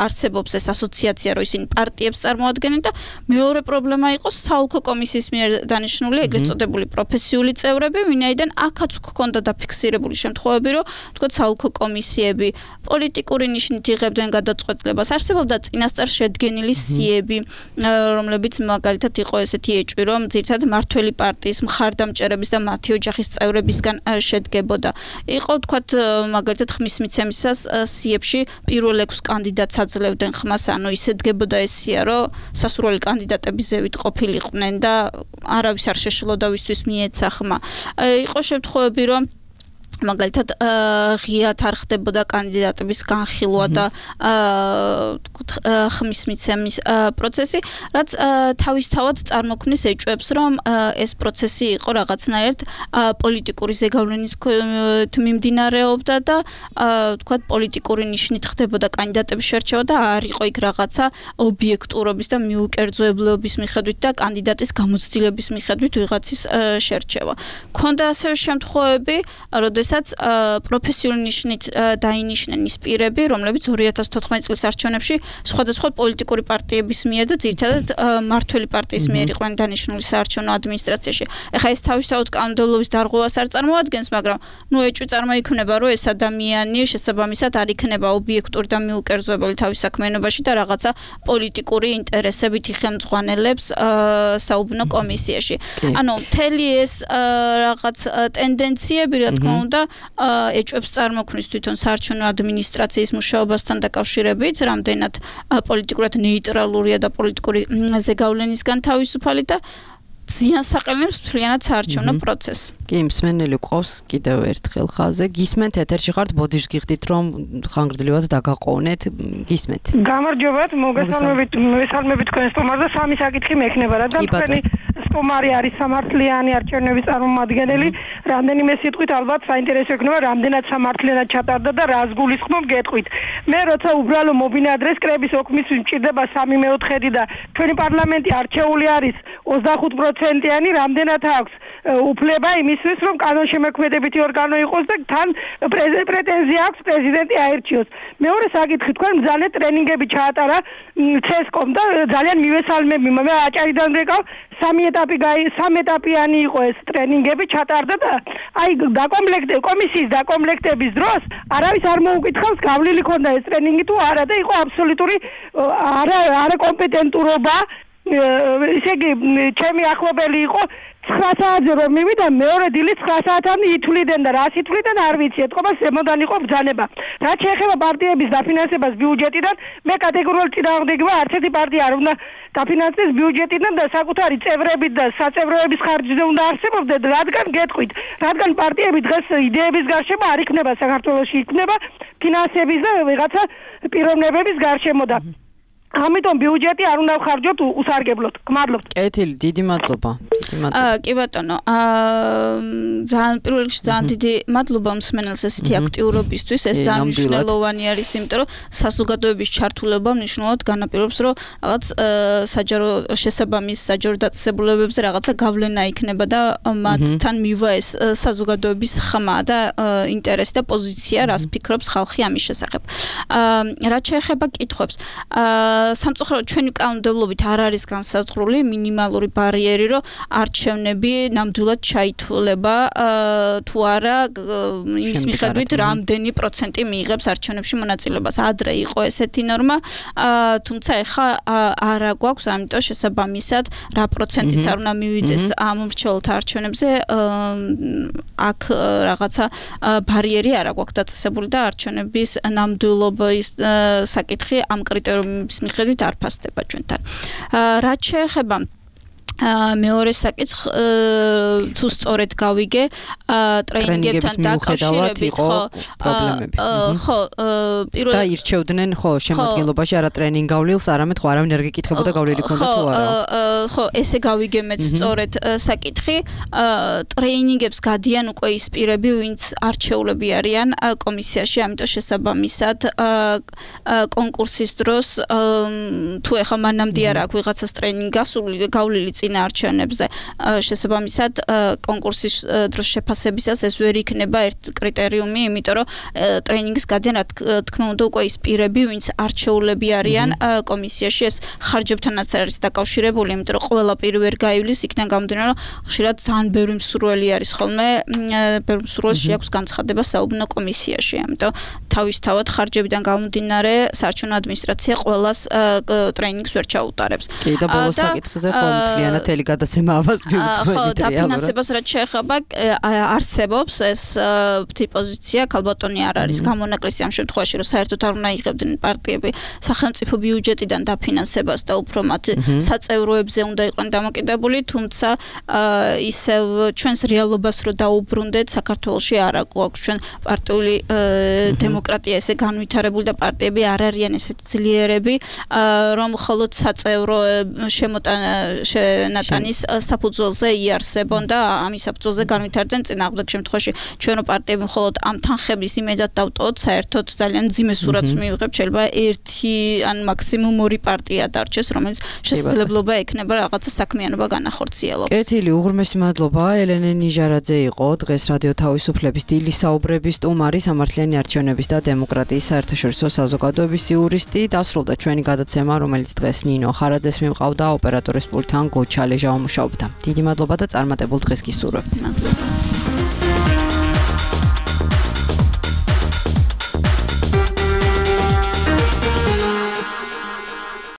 არსებობს ეს ასოციაცია, რომ ისინი პარტიებს წარმოადგენენ და მეორე პრობლემა იყო საოლქო კომისიის მიერ დანიშნული ეგრეთ წოდებული პროფესიული წევრები, ვინაიდან აქაც გქონდა დაფიქსირებული შემთხვევები, რომ თქო საოლქო კომისიები პოლიტიკური ნიშნით იღებდნენ გადაწყვეტილებას. არსებობდა წინასწარ შედგენილი სიები, რომლებიც მაგალითად იყო ესეთი ეჭვი, რომ ძირითადად მართველი პარტიის მხარდამჭერების და მათი ოჯახის წევრებისგან შედგებოდა. იყო თქვათ მაგალითად ხმის მიცემისას სიებში პირველ ექვს კანდიდატს აძლევდნენ ხმას, ანუ ისე დგებოდა ეს სია, რომ სასურველი კანდიდატები ზევით ყოფილიყვნენ და არავის არ შეშლოდა დავისთვის მიეცა ხმა. იყო შემთხვევები, რომ მაგალითად ღიად არ ხდებოდა კანდიდატების განხილვა და ხმის მიცემის პროცესი, რაც თავისთავად წარმოქმნის ეჭვებს, რომ ეს პროცესი იყო რაღაცნაირად პოლიტიკური ზეგავლენის მიმდინარეობდა და თქვათ პოლიტიკური ნიშნით ხდებოდა კანდიდატების შერჩევა და არ იყო იქ რაღაცა ობიექტურობის და მიუკერძოებლობის მიხედვით და კანდიდატის გამოცდილების მიხედვით ვიღაცის შერჩევა. ქონდა ასევე შემთხვევები, როდესაც პროფესიული ნიშნით დაინიშნენ ის პირები, რომლებიც ორი ათას თოთხმეტი წლის არჩევნებში სხვადასხვა პოლიტიკური პარტიების მიერ და ძირითადად მმართველი პარტიის მიერ იყვნენ დანიშნული საარჩევნო ადმინისტრაციაში. ეხლა ეს თავისთავად კანონმდებლობის დარღვევას არ წარმოადგენს, მაგრამ ნუ ეჭვი წარმოიქმნება, რომ ეს ადამიანი შესაბამისად არ იქნება ობიექტური და მიუკერძოებელი თავის საქმიანობაში და რაღაცა პოლიტიკური ინტერესებით იხელმძღვანელებს საუბნო კომისიაში. ანუ მთელი ეს რაღაც ტენდენციები, რა თქმა უნდა, ეჭვებს წარმოქმნის თვითონ საარჩევნო ადმინისტრაციის მუშაობასთან დაკავშირებით, რამდენად პოლიტიკურად ნეიტრალურია და პოლიტიკური ზეგავლენისგან თავისუფალი და ზიანს აყენებს მთლიანად საარჩევნო პროცესს. კი, მსმენელი ყავს კიდევ ერთხელ ხაზზე. გისმენთ ეთერში ხართ, ბოდიშს გიხდით, რომ ხანგრძლივად დაგაყოვნეთ. გისმენთ. გამარჯობათ, მოგესალმებით, მესალმებით თქვენ სტუმარზე. სამი საკითხი მექნება, რადგან თქვენი სტუმარი არის სამართლიანი არჩევნების წარმომადგენელი. რამდენიმე სიტყვით ალბათ საინტერესო იქნება, რამდენად სამართლიანად ჩატარდა და რას გულისხმობ გეტყვით. მე როცა უბრალო მობინადრეს კრების ოქმის მჭირდება სამი მეოთხედი და ჩვენი პარლამენტი არჩეული არის ოცდახუთ პროცენტიანი, რამდენად აქვს უფლება იმისთვის, რომ კანონშემოქმედებითი ორგანო იყოს და თან პრეტენზია აქვს პრეზიდენტი აერჩიოს. მეორე საკითხი, თქვენ მძალე ტრენინგები ჩაატარა ცესკომ და ძალიან მივესალმები, მე აჭარიდან ვეკავ, სამი ეტაპი სამი ეტაპიანი იყო ეს ტრენინგები ჩატარდა და აი დაკომპლექტე კომისიის დაკომპლექტების დროს არავის არ მოუკითხავს გავლილი ქონდა ეს ტრენინგი თუ არა და იყო აბსოლუტური არა არაკომპეტენტურობა. ისე იგი ჩემი ახლობელი იყო ცხრა საათზე რომ მივიდა მეორე დილის ცხრა საათამდე ითვლიდნენ და რას ითვლიდნენ არ ვიცი, ეთყობა ზემოდან იყო ბრძანება. რაც შეეხება პარტიების დაფინანსებას ბიუჯეტიდან, მე კატეგორიულად წინააღმდეგი ვარ, არც ერთი პარტია არ უნდა დაფინანსდეს ბიუჯეტიდან და საკუთარი წევრებით და საწევროების ხარჯზე უნდა არსებობდნენ, რადგან გეტყვით, რადგან პარტიები დღეს იდეების გარშემო არ იქნება საქართველოში, იქნება ფინანსების და ვიღაცა პიროვნებების გარშემო და ამიტომ ბიუჯეტი არ უნდა ხარჯოთ უსარგებლოდ. გმადლობთ. კეთილი, დიდი მადლობა. დიდი მადლობა. აა კი ბატონო, აა ძალიან პირველ რიგში ძალიან დიდი მადლობა მსმენელს ესეთი აქტიურობისთვის. ეს ძალიან მნიშვნელოვანი არის, იმიტომ რომ საზოგადოების ჩართულობა მნიშვნელოვნად განაპირობებს, რომ რაღაც საჯარო შესაბამის საჯარო დაწესებულებებზე რაღაცა გავლენა იქნება და მათთან მივა ეს საზოგადოების ხმა და ინტერესი და პოზიცია, რას ფიქრობს ხალხი ამის შესახებ. აა რაც შეეხება კითხვებს, აა სამწუხაროდ ჩვენი კანონმდებლობით არ არის განსაზღვრული მინიმალური ბარიერი, რომ არჩევნები ნამდვილად ჩაითვლება თუ არა იმის მიხედვით რამდენი პროცენტი მიიღებს არჩევნებში მონაწილეობას. ადრე იყო ესეთი ნორმა, თუმცა ეხლა არა გვაქვს, ამიტომ შესაბამისად რა პროცენტიც არ უნდა მივიდეს ამ მრჩეველთა არჩევნებზე, აქ რაღაცა ბარიერი არა გვაქვს დაწესებული და არჩევნების ნამდვილობის საკითხი ამ კრიტერიუმის მიხედვით არ ფასდება ჩვენთან. რაც შეეხება მეორე საკითხს თუ სწორედ გავიგე ტრეინინგებთან დაკავშირებით ხო ხო პირველ და ირჩევდნენ ხო შემოადგენლობაში არა ტრეინინგ გავლილს არამედ ხო არავინ არ გეკითხებოდა გავლილი ქონდა თუ არა ხო ესე გავიგე მეც სწორედ საკითხი ტრეინინგებს გადიან უკვე ის პირები ვინც არჩეულები არიან კომისიაში ამიტომ შესაბამისად კონკურსის დროს თუ ეხა მანამდე არ აქვს ვიღაცას ტრეინინგი გასული გავლილი წინა არჩევნებზე შესაბამისად კონკურსის დროს შეფასებისას ეს ვერ იქნება ერთ კრიტერიუმი, იმიტომ რომ ტრეინინგის გადიან რა თქმა უნდა უკვე ის პირები, ვინც არჩეულები არიან კომისიაში, ეს ხარჯებთანაც არის დაკავშირებული, იმიტომ რომ ყველა პირი ვერ გაივლის, იქიდან გამომდინარე, რომ ხშირად ძალიან ბევრი მსურველი არის ხოლმე, ბევრი მსურველში აქვს განცხადება საუბნო კომისიაში, ამიტომ თავისთავად ხარჯებიდან გამომდინარე საარჩევნო ადმინისტრაცია ყველას ტრეინინგს ვერ ჩაუტარებს. კი და ბოლოს საკითხზე ხო მთლიანად განათელი გადაცემა ამას მიუძღვებით. ხო, დაფინანსებას რაც შეეხება არსებობს ეს პოზიცია, ქალბატონი არ არის გამონაკლისი ამ შემთხვევაში, რომ საერთოდ არ უნდა იღებდნენ პარტიები სახელმწიფო ბიუჯეტიდან დაფინანსებას და უფრო მათ საწევროებზე უნდა იყვნენ დამოკიდებული, თუმცა ისევ ჩვენს რეალობას რო დაუბრუნდეთ, საქართველოში არ აქვს ჩვენ პარტიული დემოკრატია ესე განვითარებული და პარტიები არ არიან ესეთ ძლიერები, რომ მხოლოდ საწევრო შემოტანის საფუძველზე იარსებონ და ამის საფუძველზე განვითარდნენ წინააღმდეგ შემთხვევაში ჩვენო პარტიები მხოლოდ ამ თანხების იმედად დავტოვოთ, საერთოდ ძალიან მძიმე სურათს მივიღებთ, შეიძლება ერთი ან მაქსიმუმ ორი პარტია დარჩეს, რომელიც შესაძლებლობა ექნება რაღაცა საქმიანობა განახორციელოს. კეთილი, უღრმესი მადლობა. ელენე ნიჟარაძე იყო დღეს რადიო თავისუფლების დილის საუბრების სტუმარი, სამართლიანი არჩევნების და დემოკრატიის საერთაშორისო საზოგადოების იურისტი. დასრულდა ჩვენი გადაცემა, რომელიც დღეს ნინო ხარაძეს მიმყავდა, ოპერატორის პულტთან გოჩა ლეჟავა მუშაობდა. დიდი მადლობა და წარმატებულ დღეს გისურვებთ. მადლობა.